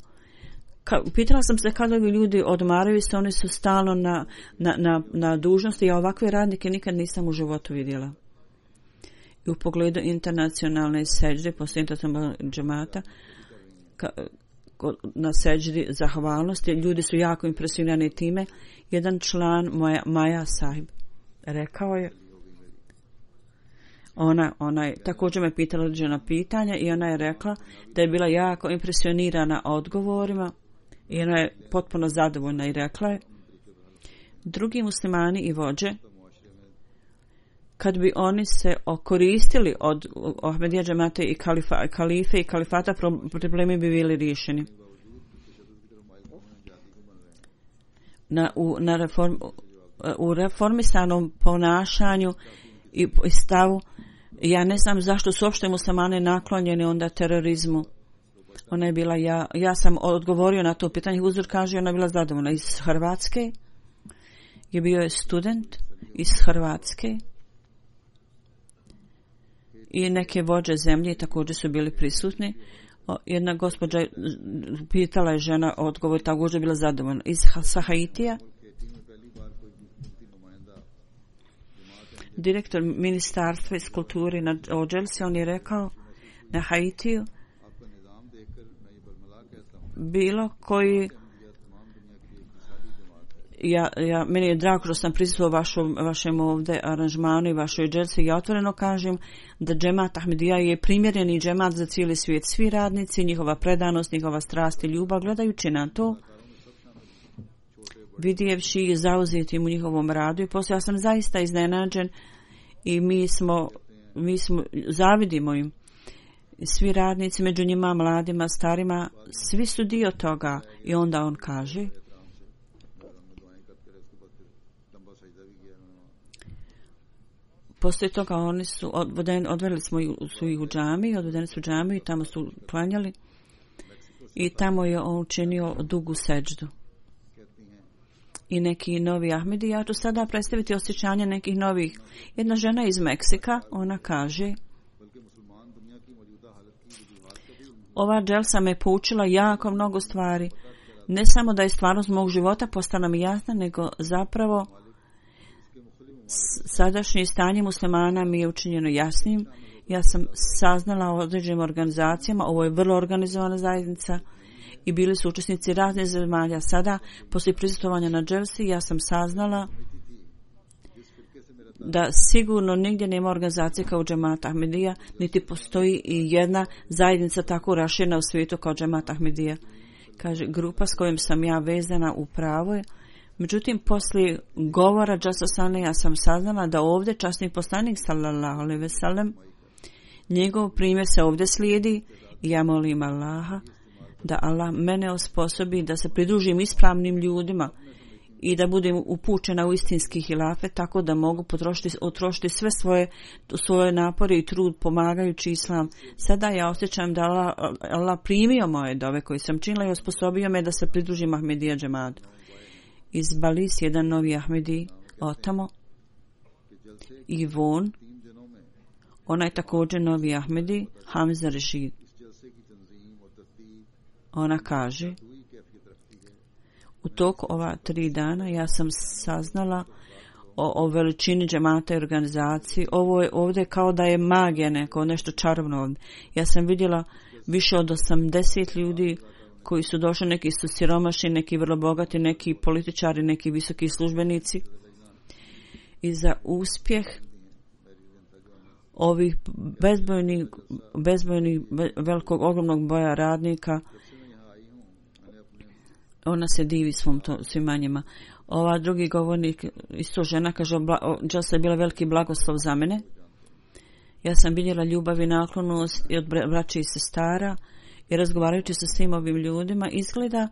Ka, pitala sam se kada ovi ljudi odmaraju se, oni su stalno na, na, na, na dužnosti, ja ovakve radnike nikad nisam u životu vidjela. I u pogledu internacionalne seđde, poslije džemata, ka, na seđdi zahvalnosti, ljudi su jako impresionirani time. Jedan član moja, Maja sahib rekao je, ona, ona je također me pitala određena pitanja i ona je rekla da je bila jako impresionirana odgovorima i ona je potpuno zadovoljna i rekla je, drugi muslimani i vođe, kad bi oni se okoristili od Ahmedija džemata i kalifa, kalife i kalifata, problemi bi bili riješeni. Na, u, na reform, u reformisanom ponašanju i stavu, ja ne znam zašto su uopšte muslimani naklonjeni onda terorizmu. Ona je bila, ja, ja sam odgovorio na to pitanje, Huzur kaže, ona je bila zadovoljna. Iz Hrvatske je bio je student iz Hrvatske i neke vođe zemlje također su bili prisutni. O, jedna gospođa pitala je žena odgovor, također je bila zadovoljna. Iz Haitija direktor ministarstva iz kulture na Ođelsi, on je rekao na Haitiju bilo koji ja, ja, meni je drago što sam prisustvovao vašom, vašem ovdje aranžmanu i vašoj dželsi. Ja otvoreno kažem da džemat Ahmedija je primjereni džemat za cijeli svijet. Svi radnici, njihova predanost, njihova strast i ljubav, gledajući na to, vidjevši i zauzetim u njihovom radu i poslije ja sam zaista iznenađen i mi smo, mi smo zavidimo im. Svi radnici, među njima mladima, starima, svi su dio toga. I onda on kaže, poslije toga oni su odvedeni, odvedeli smo su ih u džamiju, odvedeni su u džamiju i tamo su klanjali i tamo je on učinio dugu seđdu. I neki novi Ahmedi, ja ću sada predstaviti osjećanje nekih novih. Jedna žena iz Meksika, ona kaže, ova dželsa me poučila jako mnogo stvari. Ne samo da je stvarnost mog života postala mi jasna, nego zapravo sadašnje stanje muslimana mi je učinjeno jasnim. Ja sam saznala o određenim organizacijama, ovo je vrlo organizovana zajednica i bili su učesnici raznih zemalja. Sada, poslije prisustvovanja na dželsi, ja sam saznala da sigurno nigdje nema organizacije kao Džemat Ahmedija, niti postoji i jedna zajednica tako raširena u svijetu kao Džemat Ahmedija. Kaže, grupa s kojom sam ja vezana u pravo je. Međutim, poslije govora Džasasane ja sam saznala da ovdje časni poslanik sallallahu alejhi ve sellem, njegov primjer se ovdje slijedi i ja molim Allaha da Allah mene osposobi da se pridružim ispravnim ljudima i da budem upućena u istinski hilafet tako da mogu potrošiti, utrošiti sve svoje, svoje napore i trud pomagajući islam. Sada ja osjećam da Allah, Allah primio moje dove koje sam činila i osposobio me da se pridružim Ahmedija džematu. Iz Balis jedan novi Ahmedi otamo i Von, ona je također novi Ahmedi, Hamza Rešid. Ona kaže, u toku ova tri dana ja sam saznala o, o veličini džemata i organizaciji. Ovo je ovdje kao da je magija neko, nešto čarobno ovdje. Ja sam vidjela više od osamdeset ljudi koji su došli, neki su siromašni, neki vrlo bogati, neki političari, neki visoki službenici. I za uspjeh ovih bezbojnih, bezbojnih velikog, ogromnog boja radnika, ona se divi svom to, svima njima. Ova drugi govornik, isto žena, kaže, Dželsa je bila veliki blagoslov za mene. Ja sam vidjela ljubav i naklonost i od braće i sestara i razgovarajući sa svim ovim ljudima, izgleda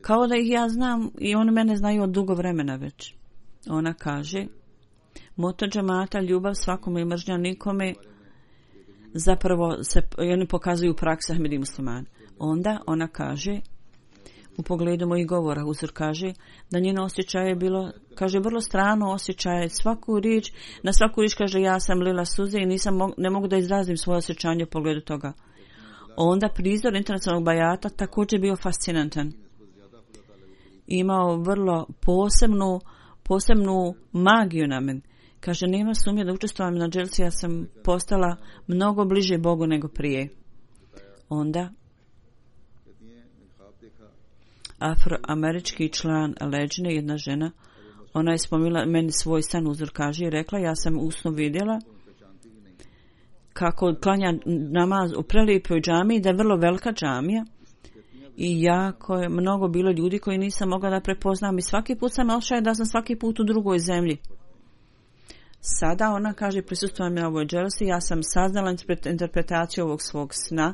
kao da ih ja znam i oni mene znaju od dugo vremena već. Ona kaže, moto džemata, ljubav svakome i mržnja nikome, zapravo se, oni pokazuju praksa Ahmedi muslimana. Onda ona kaže, u pogledu mojih govora, Huzur kaže da njeno osjećaj je bilo, kaže, vrlo strano osjećaj, svaku riječ, na svaku riječ kaže, ja sam lila suze i nisam, ne mogu da izrazim svoje osjećanje u pogledu toga. Onda prizor internacionalnog bajata također bio fascinantan. Imao vrlo posebnu, posebnu magiju na meni. Kaže, nema sumnje da učestvujem na dželsi, ja sam postala mnogo bliže Bogu nego prije. Onda afroamerički član Leđne, jedna žena, ona je spomila meni svoj san, Uzor kaže, i rekla, ja sam u snu vidjela kako klanja namaz u prelijepoj džamiji, da je vrlo velika džamija i jako je mnogo bilo ljudi koji nisam mogla da prepoznam i svaki put sam osjećala da sam svaki put u drugoj zemlji. Sada ona kaže, prisustvujem na ovoj dželsi, ja sam saznala interpretaciju ovog svog sna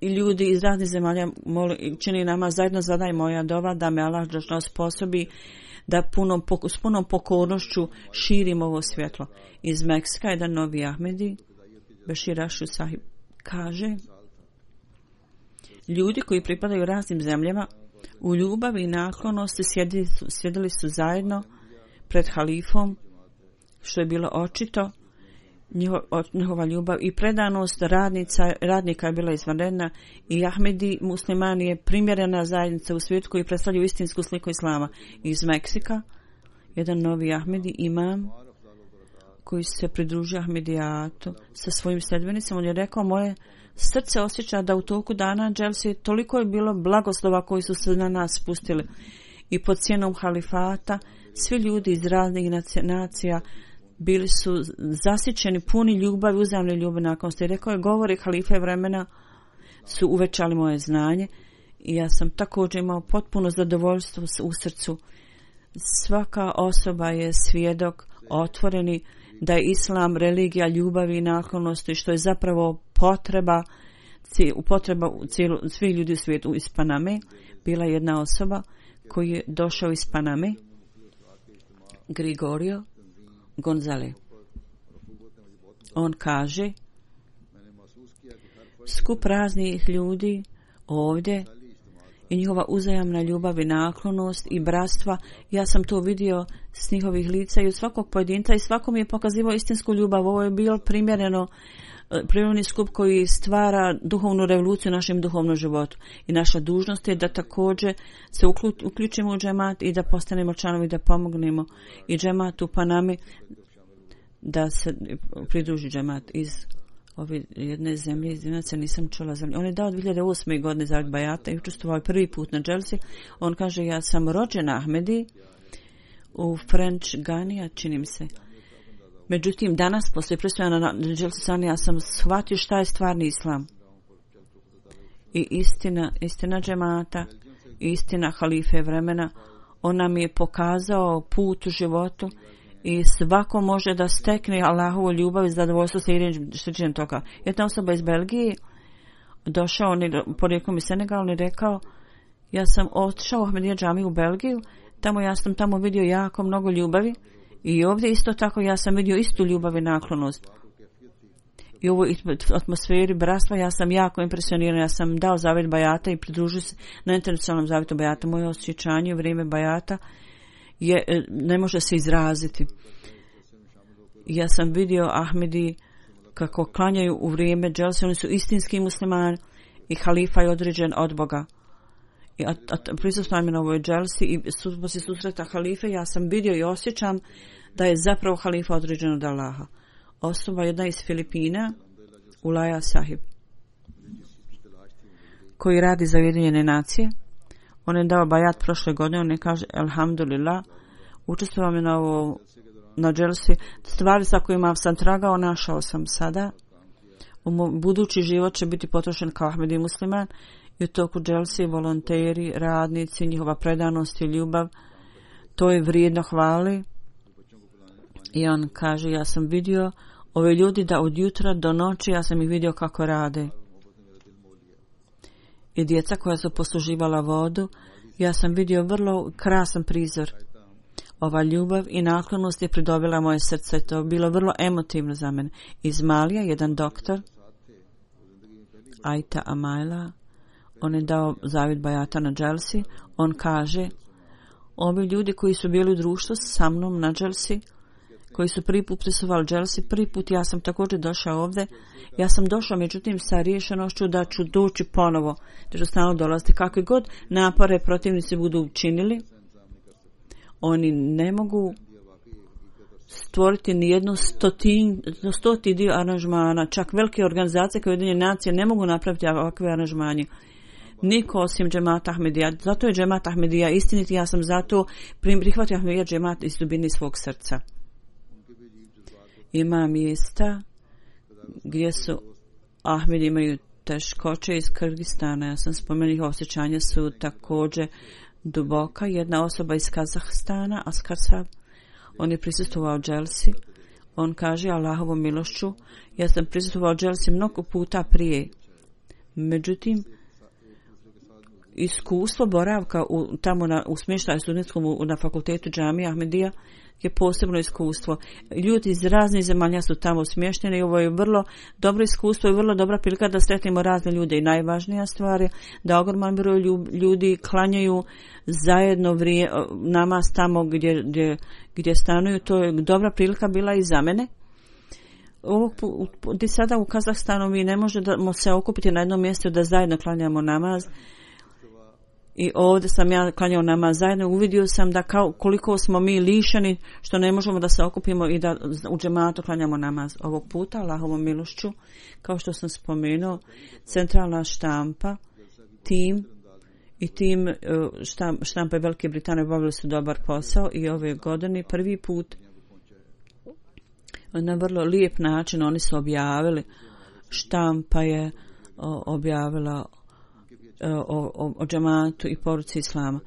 i ljudi iz raznih zemalja moli, čini nama zajedno zadaj moja dova da me Allah osposobi da punom, s punom pokornošću širim ovo svjetlo. Iz Meksika jedan novi Ahmedi, Bešir Ašu Sahib, kaže, ljudi koji pripadaju raznim zemljama u ljubavi i naklonosti sjedili su, sjedili su zajedno pred halifom, što je bilo očito. Njihova ljubav i predanost radnica, radnika je bila izvanredna i Ahmedi muslimani je primjerena zajednica u svijetu koji predstavljaju istinsku sliku islama. Iz Meksika jedan novi Ahmedi imam koji se pridružio Ahmedijatu sa svojim sljedbenicama. On je rekao, moje srce osjeća da u toku dana dželsi toliko je bilo blagoslova koji su se na nas spustili i pod cijenom halifata svi ljudi iz raznih nacija bili su zasićeni, puni ljubavi, uzajamne ljubavi nakon što je rekao je, govori halife vremena su uvećali moje znanje i ja sam također imao potpuno zadovoljstvo u srcu. Svaka osoba je svjedok otvoreni da je islam religija ljubavi i naklonosti, što je zapravo potreba, potreba cijelu, svih ljudi u svijetu. Iz Paname bila jedna osoba koji je došao iz Paname, Gregorio Gonzale. On kaže, skup raznih ljudi ovdje i njihova uzajamna ljubav i naklonost i bratstva. Ja sam to vidio s njihovih lica i od svakog pojedinca i svako mi je pokazivao istinsku ljubav. Ovo je bilo primjereno prirodni skup koji stvara duhovnu revoluciju u našem duhovnom životu. I naša dužnost je da također se uključimo u džemat i da postanemo članovi, da pomognemo i džematu pa nami da se pridruži džemat iz ove jedne zemlje, iz Dinaca nisam čula zemlje. On je dao dvije hiljade osme godine za bajata i učestvovao prvi put na dželsi. On kaže, ja sam rođen Ahmedi u French Ganija, čini mi se. Međutim, danas, poslije predstavljena na dželsi sani, ja sam shvatio šta je stvarni islam. I istina, istina džemata, istina halife vremena, on nam je pokazao put u životu i svako može da stekne Allahovu ljubav i zadovoljstvo slijedjenjem toga. Jedna osoba iz Belgije došao, porijeklom iz Senegal, i rekao, ja sam otišao u Ahmedija džamiju u Belgiju, tamo ja sam tamo vidio jako mnogo ljubavi i ovdje isto tako ja sam vidio istu ljubav i naklonost. I u ovoj atmosferi bratstva ja sam jako impresioniran, ja sam dao zavjet bajata i pridružio se na internacionalnom zavjetu bajata. Moje osjećanje u vrijeme bajata je, ne može se izraziti. Ja sam vidio Ahmedi kako klanjaju u vrijeme dželsi, oni su istinski muslimani i halifa je određen od Boga. I prisutno na ovoj dželsi i poslije susreta halife ja sam vidio i osjećam da je zapravo halifa određen od Allaha. Osoba jedna iz Filipina, Ulaja Sahib, koji radi za Ujedinjene nacije. On je dao bajat prošle godine, on je kaže, alhamdulillah, učestvovao mi na ovo, na dželsi, stvari sa kojima sam tragao, našao sam sada. U budući život će biti potrošen kao Ahmedi musliman i u toku dželsi volonteri, radnici, njihova predanost i ljubav, to je vrijedno hvali. I on kaže, ja sam vidio ove ljudi da od jutra do noći, ja sam ih vidio kako rade. I djeca koja su posluživala vodu, ja sam vidio vrlo krasan prizor. Ova ljubav i naklonost je pridobila moje srce, to je bilo vrlo emotivno za mene. Iz Malija, jedan doktor, Aita Amaila, on je dao zavjet bajata na dželsi, on kaže, ovi ljudi koji su bili u društvu sa mnom na dželsi, koji su prvi put prisuvali dželsi, prvi put ja sam također došao ovdje, ja sam došao međutim sa riješenošću da ću doći ponovo, da ću stalno dolaziti. Kakve god napore protivnici budu učinili, oni ne mogu stvoriti ni jednu stotin, stoti dio aranžmana, čak velike organizacije kao Ujedinjene nacije ne mogu napraviti ovakve aranžmanje. Niko osim džemata Ahmedija. Zato je džemat Ahmedija istiniti, ja sam zato prihvatio Ahmedija džemat iz dubine svog srca. Ima mjesta gdje su Ahmedi imaju teškoće iz Kyrgyzstana. Ja sam spomenuo, osjećanja su također duboka. Jedna osoba iz Kazahstana, Askarsab, on je prisustvovao dželsi. On kaže, Allahovom milošću, ja sam prisustvovao dželsi mnogo puta prije. Međutim, iskustvo boravka u, tamo na, u smještaju studentskom na fakultetu džamija Ahmedija je posebno iskustvo. Ljudi iz raznih zemalja su tamo smješteni i ovo je vrlo dobro iskustvo i vrlo dobra prilika da sretnemo razne ljude. I najvažnija stvar je da ogroman broj ljudi klanjaju zajedno vrije, namaz tamo gdje, gdje, gdje stanuju. To je dobra prilika bila i za mene. Ovog, gdje sada u Kazahstanu mi ne možemo se okupiti na jednom mjestu da zajedno klanjamo namaz. I ovdje sam ja klanjao namaz zajedno, uvidio sam da kao, koliko smo mi lišeni što ne možemo da se okupimo i da u džematu klanjamo namaz. Ovog puta, Allahovom milošću, kao što sam spomenuo, centralna štampa, tim i tim štampe Velike Britanije obavili su dobar posao i ove godine prvi put na vrlo lijep način oni su objavili, štampa je objavila o, o, o džematu i poruci islama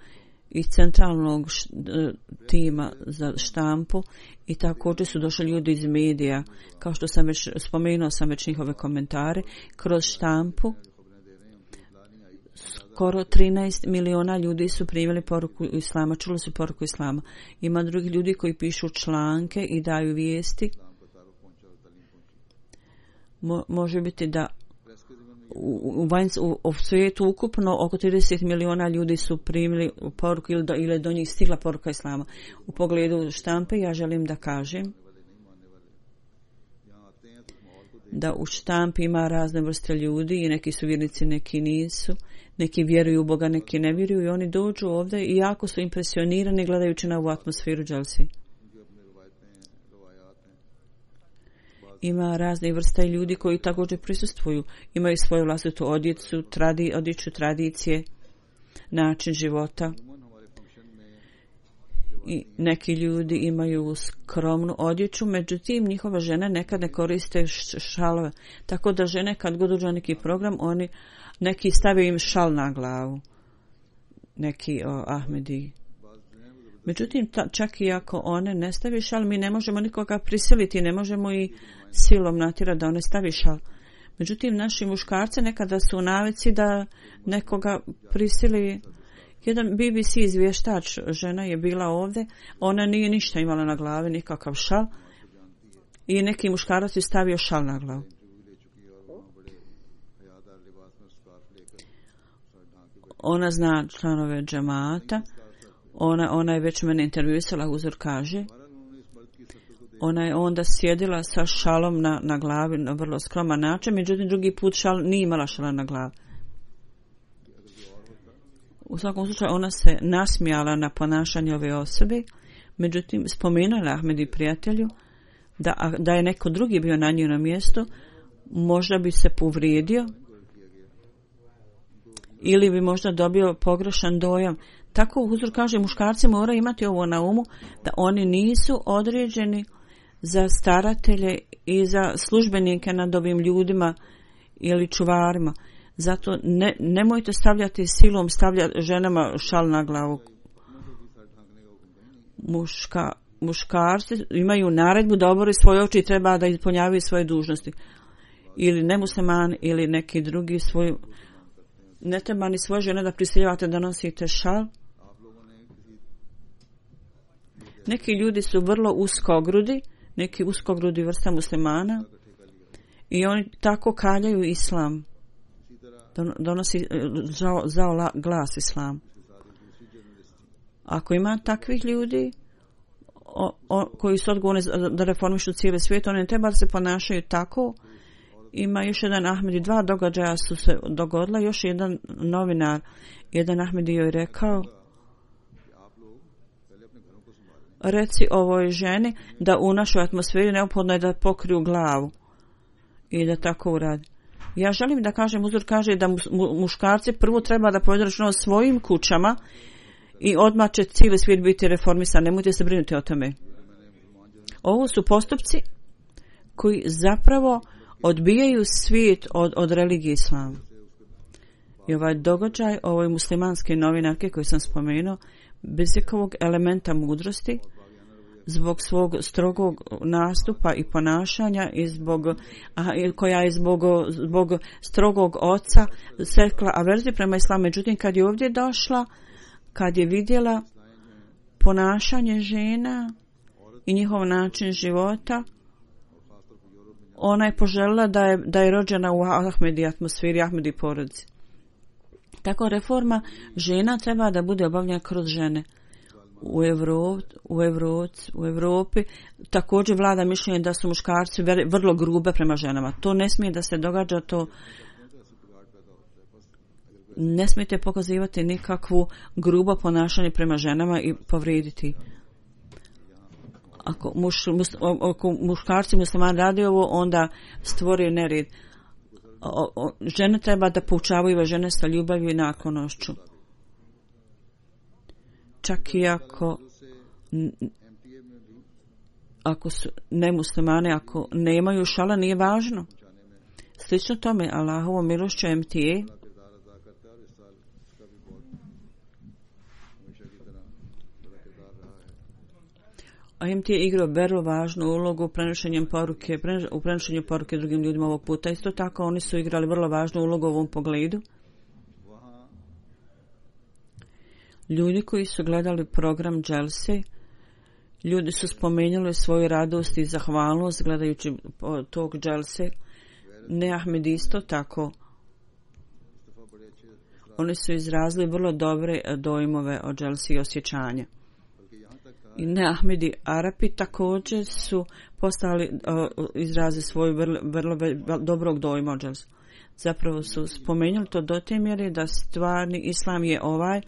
iz centralnog š, tima za štampu i također su došli ljudi iz medija, kao što sam već spomenuo sam već njihove komentare kroz štampu. Skoro trinaest miliona ljudi su primili poruku islama, čuli su poruku islama. Ima drugih ljudi koji pišu članke i daju vijesti. Mo, može biti da u, u, vanjs, u, u svijetu ukupno oko trideset miliona ljudi su primili poruku ili do, ili do njih stigla poruka Islama. U pogledu štampe ja želim da kažem da u štampi ima razne vrste ljudi i neki su vjernici, neki nisu. Neki vjeruju u Boga, neki ne vjeruju i oni dođu ovdje i jako su impresionirani gledajući na ovu atmosferu dželsi. Ima razne vrste ljudi koji također prisustvuju. Imaju svoju vlastitu odjeću, tradi, odjeću tradicije, način života. I neki ljudi imaju skromnu odjeću, međutim njihove žene nekad ne koriste šalove. Tako da žene kad god uđu neki program, oni neki stavaju im šal na glavu. Neki o, Ahmedi. Međutim, ta, čak i ako one ne stavi šal, mi ne možemo nikoga prisiliti, ne možemo i silom natjerati da one stavi šal. Međutim, naši muškarci nekada su u navici da nekoga prisili. Jedan B B C izvještač, žena je bila ovdje, ona nije ništa imala na glavi, nikakav šal i neki muškarac je stavio šal na glavu. Ona zna članove džemata, ona, ona je već mene intervjuisala, uzor kaže, ona je onda sjedila sa šalom na, na glavi na vrlo skroman način, međutim drugi put šal nije imala šala na glavi. U svakom slučaju ona se nasmijala na ponašanje ove osobe, međutim spomenula Ahmedi prijatelju da, da je neko drugi bio na njenom mjestu, možda bi se povrijedio ili bi možda dobio pogrešan dojam. Tako uzor kaže, muškarci moraju imati ovo na umu, da oni nisu određeni za staratelje i za službenike nad ovim ljudima ili čuvarima. Zato ne, nemojte stavljati silom stavljati ženama šal na glavu. Muška, muškarci imaju naredbu da obore svoje oči i treba da ispunjavaju svoje dužnosti. Ili nemusliman ili neki drugi svoju. Ne treba ni svoje žene da prisiljavate da nosite šal. Neki ljudi su vrlo uskogrudi, neki uskogrudi vrsta muslimana i oni tako kaljaju islam. Donosi zao, zao glas islam. Ako ima takvih ljudi o, o, koji su odgovorni da reformišu cijeli svijet, oni ne treba da se ponašaju tako. Ima još jedan Ahmedi, dva događaja su se dogodila, još jedan novinar, jedan Ahmedi joj rekao, reci ovoj ženi da u našoj atmosferi neophodno je da pokriju glavu i da tako uradi. Ja želim da kažem, uzor kaže da muškarci prvo treba da povedu računa o svojim kućama i odmah će cijeli svijet biti reformisan. Nemojte se brinuti o tome. Ovo su postupci koji zapravo odbijaju svijet od, od religije islama. I ovaj događaj ovoj muslimanske novinarke koju sam spomenuo, bez ikakvog elementa mudrosti, zbog svog strogog nastupa i ponašanja i zbog, a, koja je zbog, zbog strogog oca sekla averziju prema islamu. Međutim, kad je ovdje došla, kad je vidjela ponašanje žena i njihov način života, ona je poželjela da je, da je rođena u Ahmedi atmosferi, Ahmedi porodici. Tako reforma žena treba da bude obavljena kroz žene. U, Evrop, u, Evrop, u Evropi također vlada mišljenje da su muškarci vrlo grube prema ženama. To ne smije da se događa, to ne smijete pokazivati nikakvu grubo ponašanje prema ženama i povrijediti. Ako, muš, mus, ako muškarci muslimani radi ovo, onda stvorio nered. O, o, žene treba da poučavaju žene sa ljubavlju i naklonošću. Čak i ako ako su nemuslimane, ako nemaju šala, nije važno. Slično tome, Allahovo milošću M T A A M T A igrao vrlo važnu ulogu u prenošenju poruke, u prenošenju poruke drugim ljudima ovog puta. Isto tako oni su igrali vrlo važnu ulogu u ovom pogledu. Ljudi koji su gledali program Dželse, ljudi su spomenuli svoju radost i zahvalnost gledajući tog Dželse. Ne Ahmed isto tako Oni su izrazili vrlo dobre dojmove o dželsi i osjećanja. I ne Ahmedi Arapi također su postali uh, izrazi svoju vrlo, vrlo, vrlo dobrog dojma o dželsi. Zapravo su spomenuli to do te mjere da stvarni islam je ovaj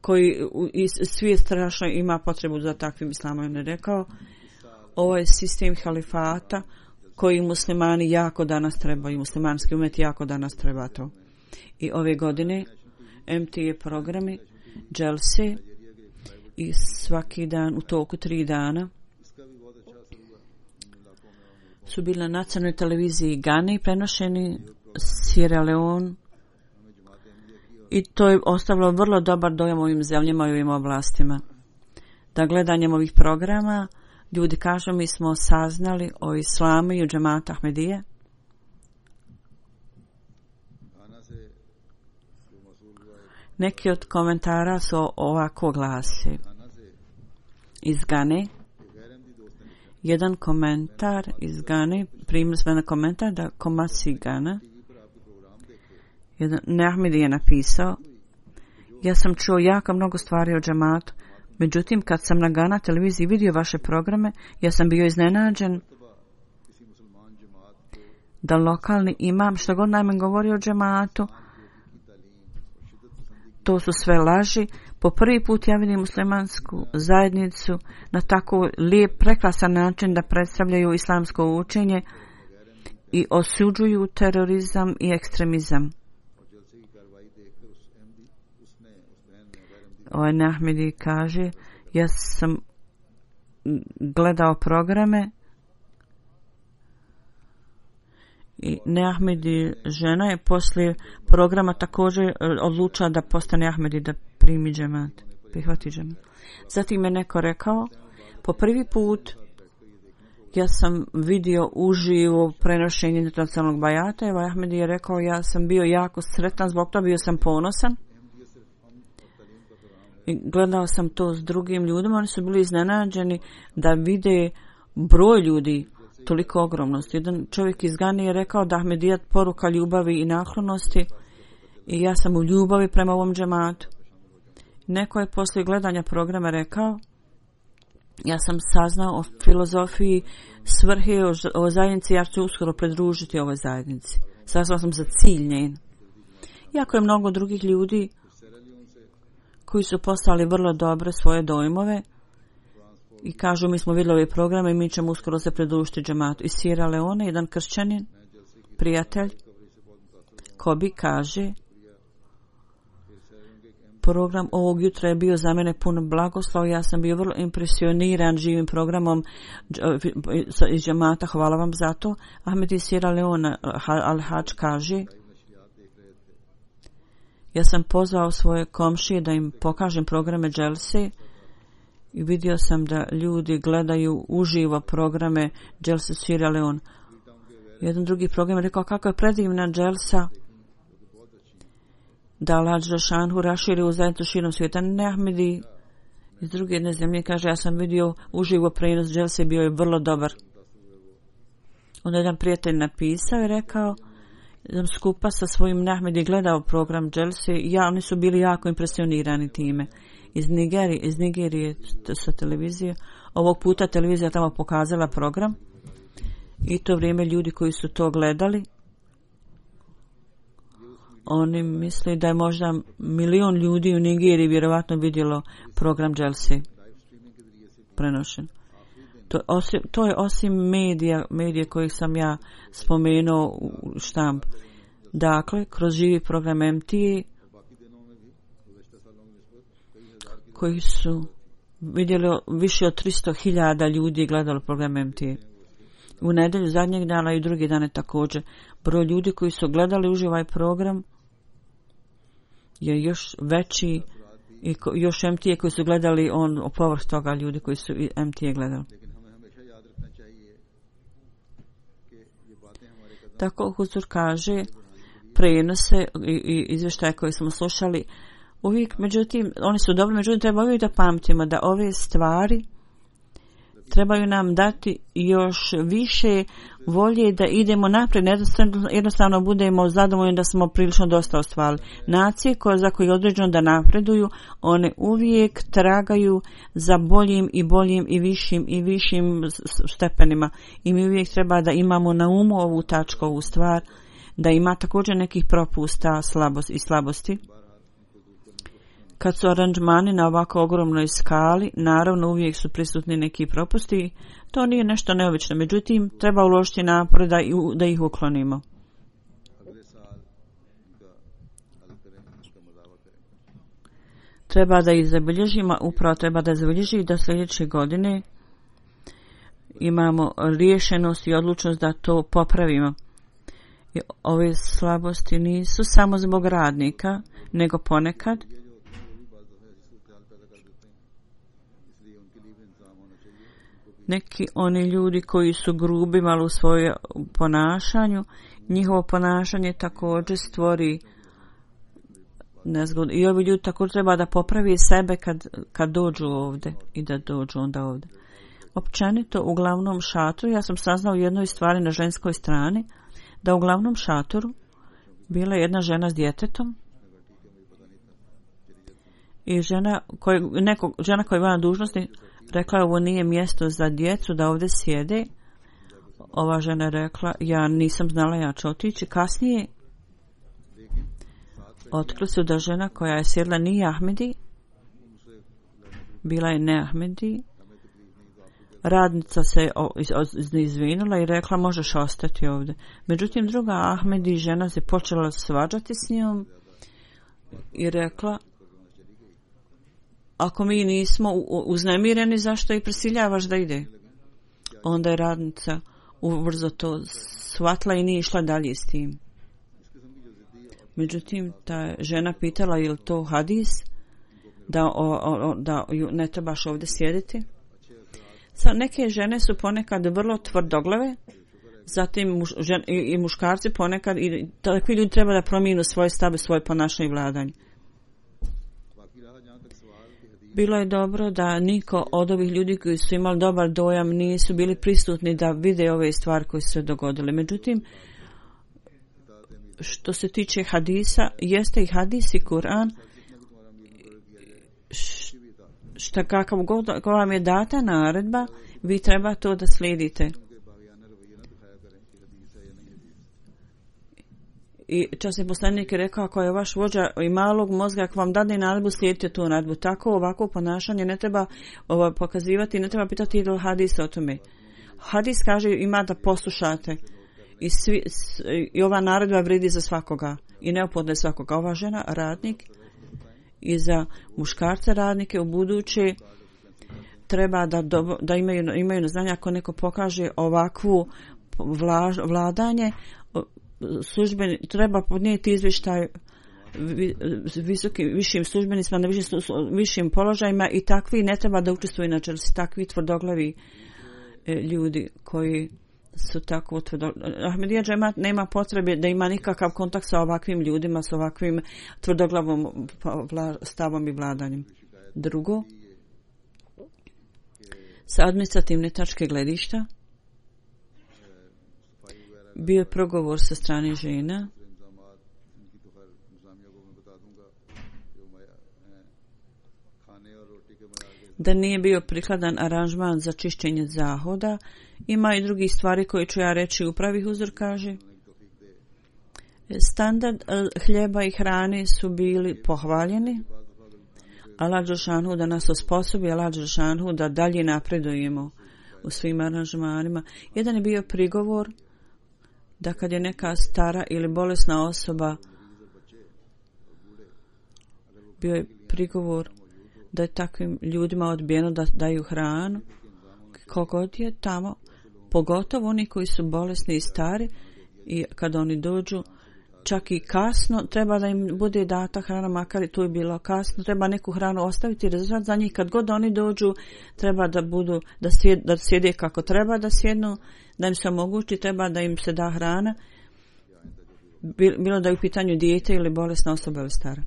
koji i svijet strašno ima potrebu za takvim islamom. On je rekao, ovo je sistem halifata koji muslimani jako danas trebaju, muslimanski umet jako danas treba to. I ove godine M T A programi dželse i svaki dan u toku tri dana su bili na nacionalnoj televiziji Gane prenošeni Sierra Leone i to je ostavilo vrlo dobar dojam ovim zemljama i ovim oblastima. Da gledanjem ovih programa ljudi kažu mi smo saznali o islamu i o džematu Ahmedije. Neki od komentara su ovako glasi. Iz Gane. Jedan komentar iz Gane, primili smo na komentar da Komasi Gana, jedan Ahmedi je napisao, ja sam čuo jako mnogo stvari o džematu, međutim kad sam na Gana televiziji vidio vaše programe, ja sam bio iznenađen da lokalni imam što god najmen govori o džematu, to su sve laži. Po prvi put ja vidim muslimansku zajednicu na tako lijep, prekrasan način da predstavljaju islamsko učenje i osuđuju terorizam i ekstremizam. Ovaj Ahmedi kaže, ja sam gledao programe i Ahmedi žena je poslije programa također odlučila da postane Ahmedi, da primi džemat, prihvati džemat. Zatim je neko rekao, po prvi put ja sam vidio uživo prenošenje internacionalnog bajata. Evo Ahmedi je rekao, ja sam bio jako sretan zbog toga, bio sam ponosan. I gledao sam to s drugim ljudima, oni su bili iznenađeni da vide broj ljudi toliko ogromnosti. Jedan čovjek iz Gane je rekao da Ahmedijat poruka ljubavi i naklonosti i ja sam u ljubavi prema ovom džematu. Neko je poslije gledanja programa rekao, ja sam saznao o filozofiji svrhe o, o zajednici, ja ću uskoro pridružiti ovoj zajednici. Saznao sam za cilj njen. Jako je mnogo drugih ljudi koji su poslali vrlo dobre svoje dojmove i kažu mi smo vidjeli ove programe i mi ćemo uskoro se pridružiti džematu. Iz Sierra Leone jedan kršćanin, prijatelj, Kobi kaže, program ovog jutra je bio za mene pun blagoslova, ja sam bio vrlo impresioniran živim programom iz džemata, hvala vam za to. Ahmed iz Sierra Leone Al-Hadž kaže, ja sam pozvao svoje komšije da im pokažem programe dželse i vidio sam da ljudi gledaju uživo programe dželse Sierra Leone. Jedan drugi program je rekao kako je predivna dželsa da Allah Žešanhu raširi u zajednicu širom svijeta. Ne Ahmedi iz druge jedne zemlje kaže, ja sam vidio uživo prenos dželse, bio je vrlo dobar. Onda jedan prijatelj napisao i rekao, sam skupa sa svojim Ahmedi gledao program dželse i ja, oni su bili jako impresionirani time. Iz Nigerije, iz Nigerije sa televizije. Ovog puta televizija tamo pokazala program i to vrijeme ljudi koji su to gledali, oni misle da je možda milion ljudi u Nigeriji vjerovatno vidjelo program dželse prenošen. To, osim, to je osim medija, medije kojih sam ja spomenuo u štamp. Dakle, kroz živi program M T A koji su vidjeli više od tristo hiljada ljudi gledalo program M T A. U nedjelju zadnjeg dana i drugi dane također. Broj ljudi koji su gledali uživaj program je još veći i ko, još M T A koji su gledali on o povrh toga ljudi koji su M T A gledali. Tako Huzur kaže, prenose i, i izvještaje koje smo slušali uvijek, međutim, oni su dobri, međutim treba uvijek da pamtimo da ove stvari trebaju nam dati još više volje da idemo naprijed, jednostavno budemo zadovoljni da smo prilično dosta ostvarili. Nacije koje, za koje je određeno da napreduju, one uvijek tragaju za boljim i boljim i višim i višim stepenima. I mi uvijek treba da imamo na umu ovu tačku, ovu stvar, da ima također nekih propusta slabost i slabosti. Kad su aranžmani na ovako ogromnoj skali, naravno uvijek su prisutni neki propusti, to nije nešto neobično, međutim treba uložiti napor da, da ih uklonimo. Treba da ih zabilježimo, upravo treba da zabilježi da sljedeće godine imamo riješenost i odlučnost da to popravimo. I ove slabosti nisu samo zbog radnika, nego ponekad neki oni ljudi koji su grubi malo u svojem ponašanju, njihovo ponašanje također stvori nezgodu. I ovi ljudi također treba da popravi sebe kad, kad dođu ovdje i da dođu onda ovdje. Općenito u glavnom šatoru, ja sam saznao jednoj stvari na ženskoj strani, da u glavnom šatoru bila je jedna žena s djetetom i žena, koj, neko, žena koja je bila na dužnosti rekla, ovo nije mjesto za djecu da ovdje sjede. Ova žena je rekla, ja nisam znala, ja ću otići. Kasnije otkrilo se da žena koja je sjedla nije Ahmedi, bila je ne Ahmedi. Radnica se izvinula i rekla, možeš ostati ovdje. Međutim, druga Ahmedi žena se počela svađati s njom i rekla, ako mi nismo uznemireni, zašto i prisiljavaš da ide? Onda je radnica ubrzo to shvatila i nije išla dalje s tim. Međutim, ta žena pitala, je li to hadis? Da, o, o, da ne trebaš ovdje sjediti? Sad, neke žene su ponekad vrlo tvrdoglave, zatim muš, žen, i, i muškarci ponekad, i takvi ljudi treba da promijenu svoje stave, svoje ponašanje i vladanje. Bilo je dobro da niko od ovih ljudi koji su imali dobar dojam nisu bili prisutni da vide ove stvari koje su se dogodile. Međutim, što se tiče hadisa, jeste i hadis i Kur'an, šta kakav god ko vam je data naredba, vi treba to da slijedite. I časni poslanik je rekao, ako je vaš vođa i malog mozga, ako vam dadne naredbu, slijedite tu naredbu. Tako ovako ponašanje ne treba ovo, pokazivati, ne treba pitati ili hadis o tome. Hadis kaže ima da poslušate. I, svi, i ova naredba vredi za svakoga. I neophodno je svakoga. Ova žena, radnik, i za muškarce radnike u buduće treba da, do, da imaju, imaju na znanje, ako neko pokaže ovakvu vla, vladanje, službeni, treba podnijeti izvještaj visokim, višim službenicima na višim, višim položajima i takvi ne treba da učestvuju, inače su takvi tvrdoglavi e, ljudi koji su tako tvrdoglavi. Ahmedija džemat nema potrebe da ima nikakav kontakt sa ovakvim ljudima, sa ovakvim tvrdoglavom vla, stavom i vladanjem. Drugo, sa administrativne tačke gledišta bio je progovor sa strane žena da nije bio prikladan aranžman za čišćenje zahoda. Ima i drugih stvari koje ću ja reći. Upravi Huzur kaže, standard hljeba i hrane su bili pohvaljeni. Allah dželešanu da nas osposobi, Allah dželešanu da dalje napredujemo u svim aranžmanima. Jedan je bio prigovor da kad je neka stara ili bolesna osoba, bio je prigovor da je takvim ljudima odbijeno da daju hranu. Kogod je tamo, pogotovo oni koji su bolesni i stari, i kad oni dođu, čak i kasno, treba da im bude data hrana, makar i tu je bilo kasno, treba neku hranu ostaviti i rezervat za njih. Kad god oni dođu, treba da budu, da, sjed, da sjede kako treba da sjednu, da im se omogući, treba da im se da hrana, bilo da je u pitanju dijete ili bolesna osoba ili stara.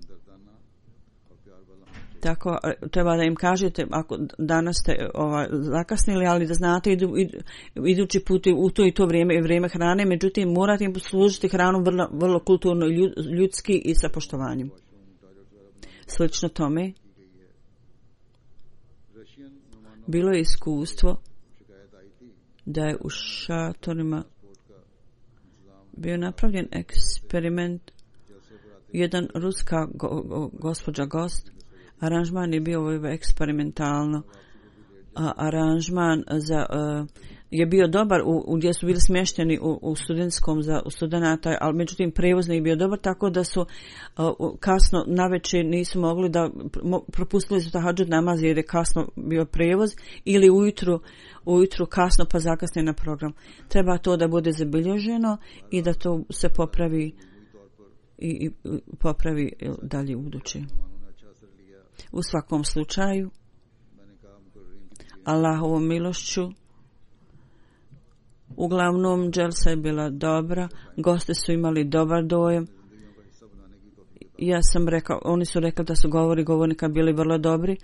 Tako treba da im kažete ako danas ste ovaj, zakasnili, ali da znate idu, idu, idući put u to i to vrijeme i vrijeme hrane, međutim morate im služiti hranu vrlo, vrlo kulturno, ljudski i sa poštovanjem. Slično tome bilo je iskustvo da je u šatorima bio napravljen eksperiment. Jedan ruska go, go, gospođa gost, aranžman je bio eksperimentalno, a aranžman za, uh, je bio dobar u, u gdje su bili smješteni u, u studentskom za u studenata, ali međutim prevoznik je bio dobar, tako da su uh, kasno navečer nisu mogli da mo, propustili su tahadžud namaz jer je kasno bio prevoz, ili ujutru ujutru kasno pa zakasne na program. Treba to da bude zabilježeno i da to se popravi i, i popravi dalje u budući. U svakom slučaju Allahovom milošću uglavnom dželsa je bila dobra, gosti su imali dobar dojam. Ja sam rekao, oni su rekli da su govori govornika bili vrlo dobri,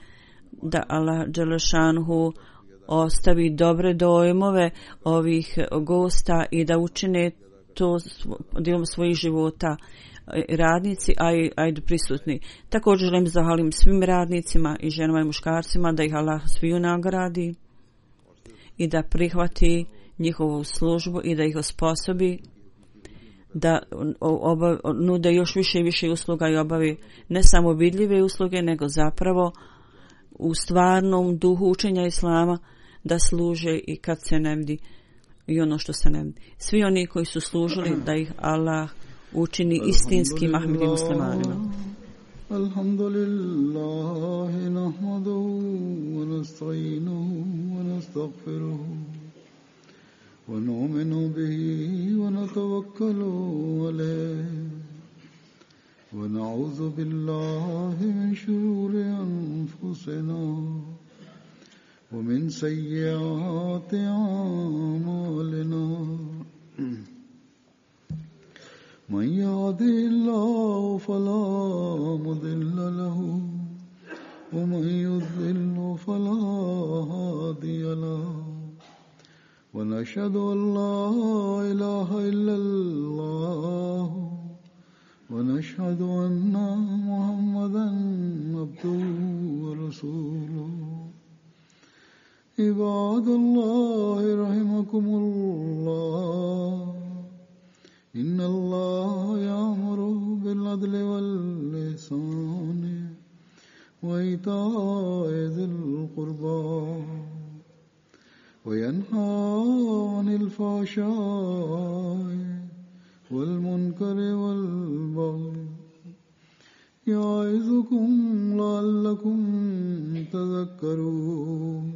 da Allah dželešanhu ostavi dobre dojmove ovih gosta i da učine to dijelom svojih života radnici, a i, a i prisutni. Također želim zahvalim svim radnicima i ženama i muškarcima da ih Allah sviju nagradi i da prihvati njihovu službu i da ih osposobi da obav, nude još više i više usluga i obavi ne samo vidljive usluge, nego zapravo u stvarnom duhu učenja Islama da služe i kad se ne vidi i ono što se ne vidi. Svi oni koji su služili da ih Allah učini istinskim Ahmedi muslimanima. Alhamdulillah, nahmaduhu wa nasta'inuhu wa nastaghfiruhu wa nu'minu bihi wa natawakkalu alayhi wa na'udhu billahi min shururi anfusina wa min sayyiati a'malina. من يهده الله فلا مضل له ومن يضلل فلا هادي له ونشهد أن لا إله إلا الله ونشهد أن محمدا عبده ورسوله عباد الله رحمكم الله إن الله يأمر بالعدل والإحسان وإيتاء ذي القربى وينهى عن الفحشاء والمنكر والبغي يعظكم لعلكم تذكرون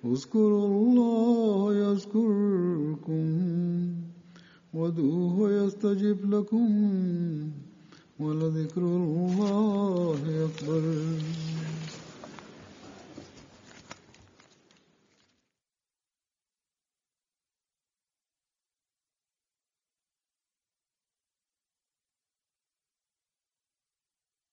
اذكروا الله يذكركم وادعوه يستجب لكم ولذكر الله أكبر.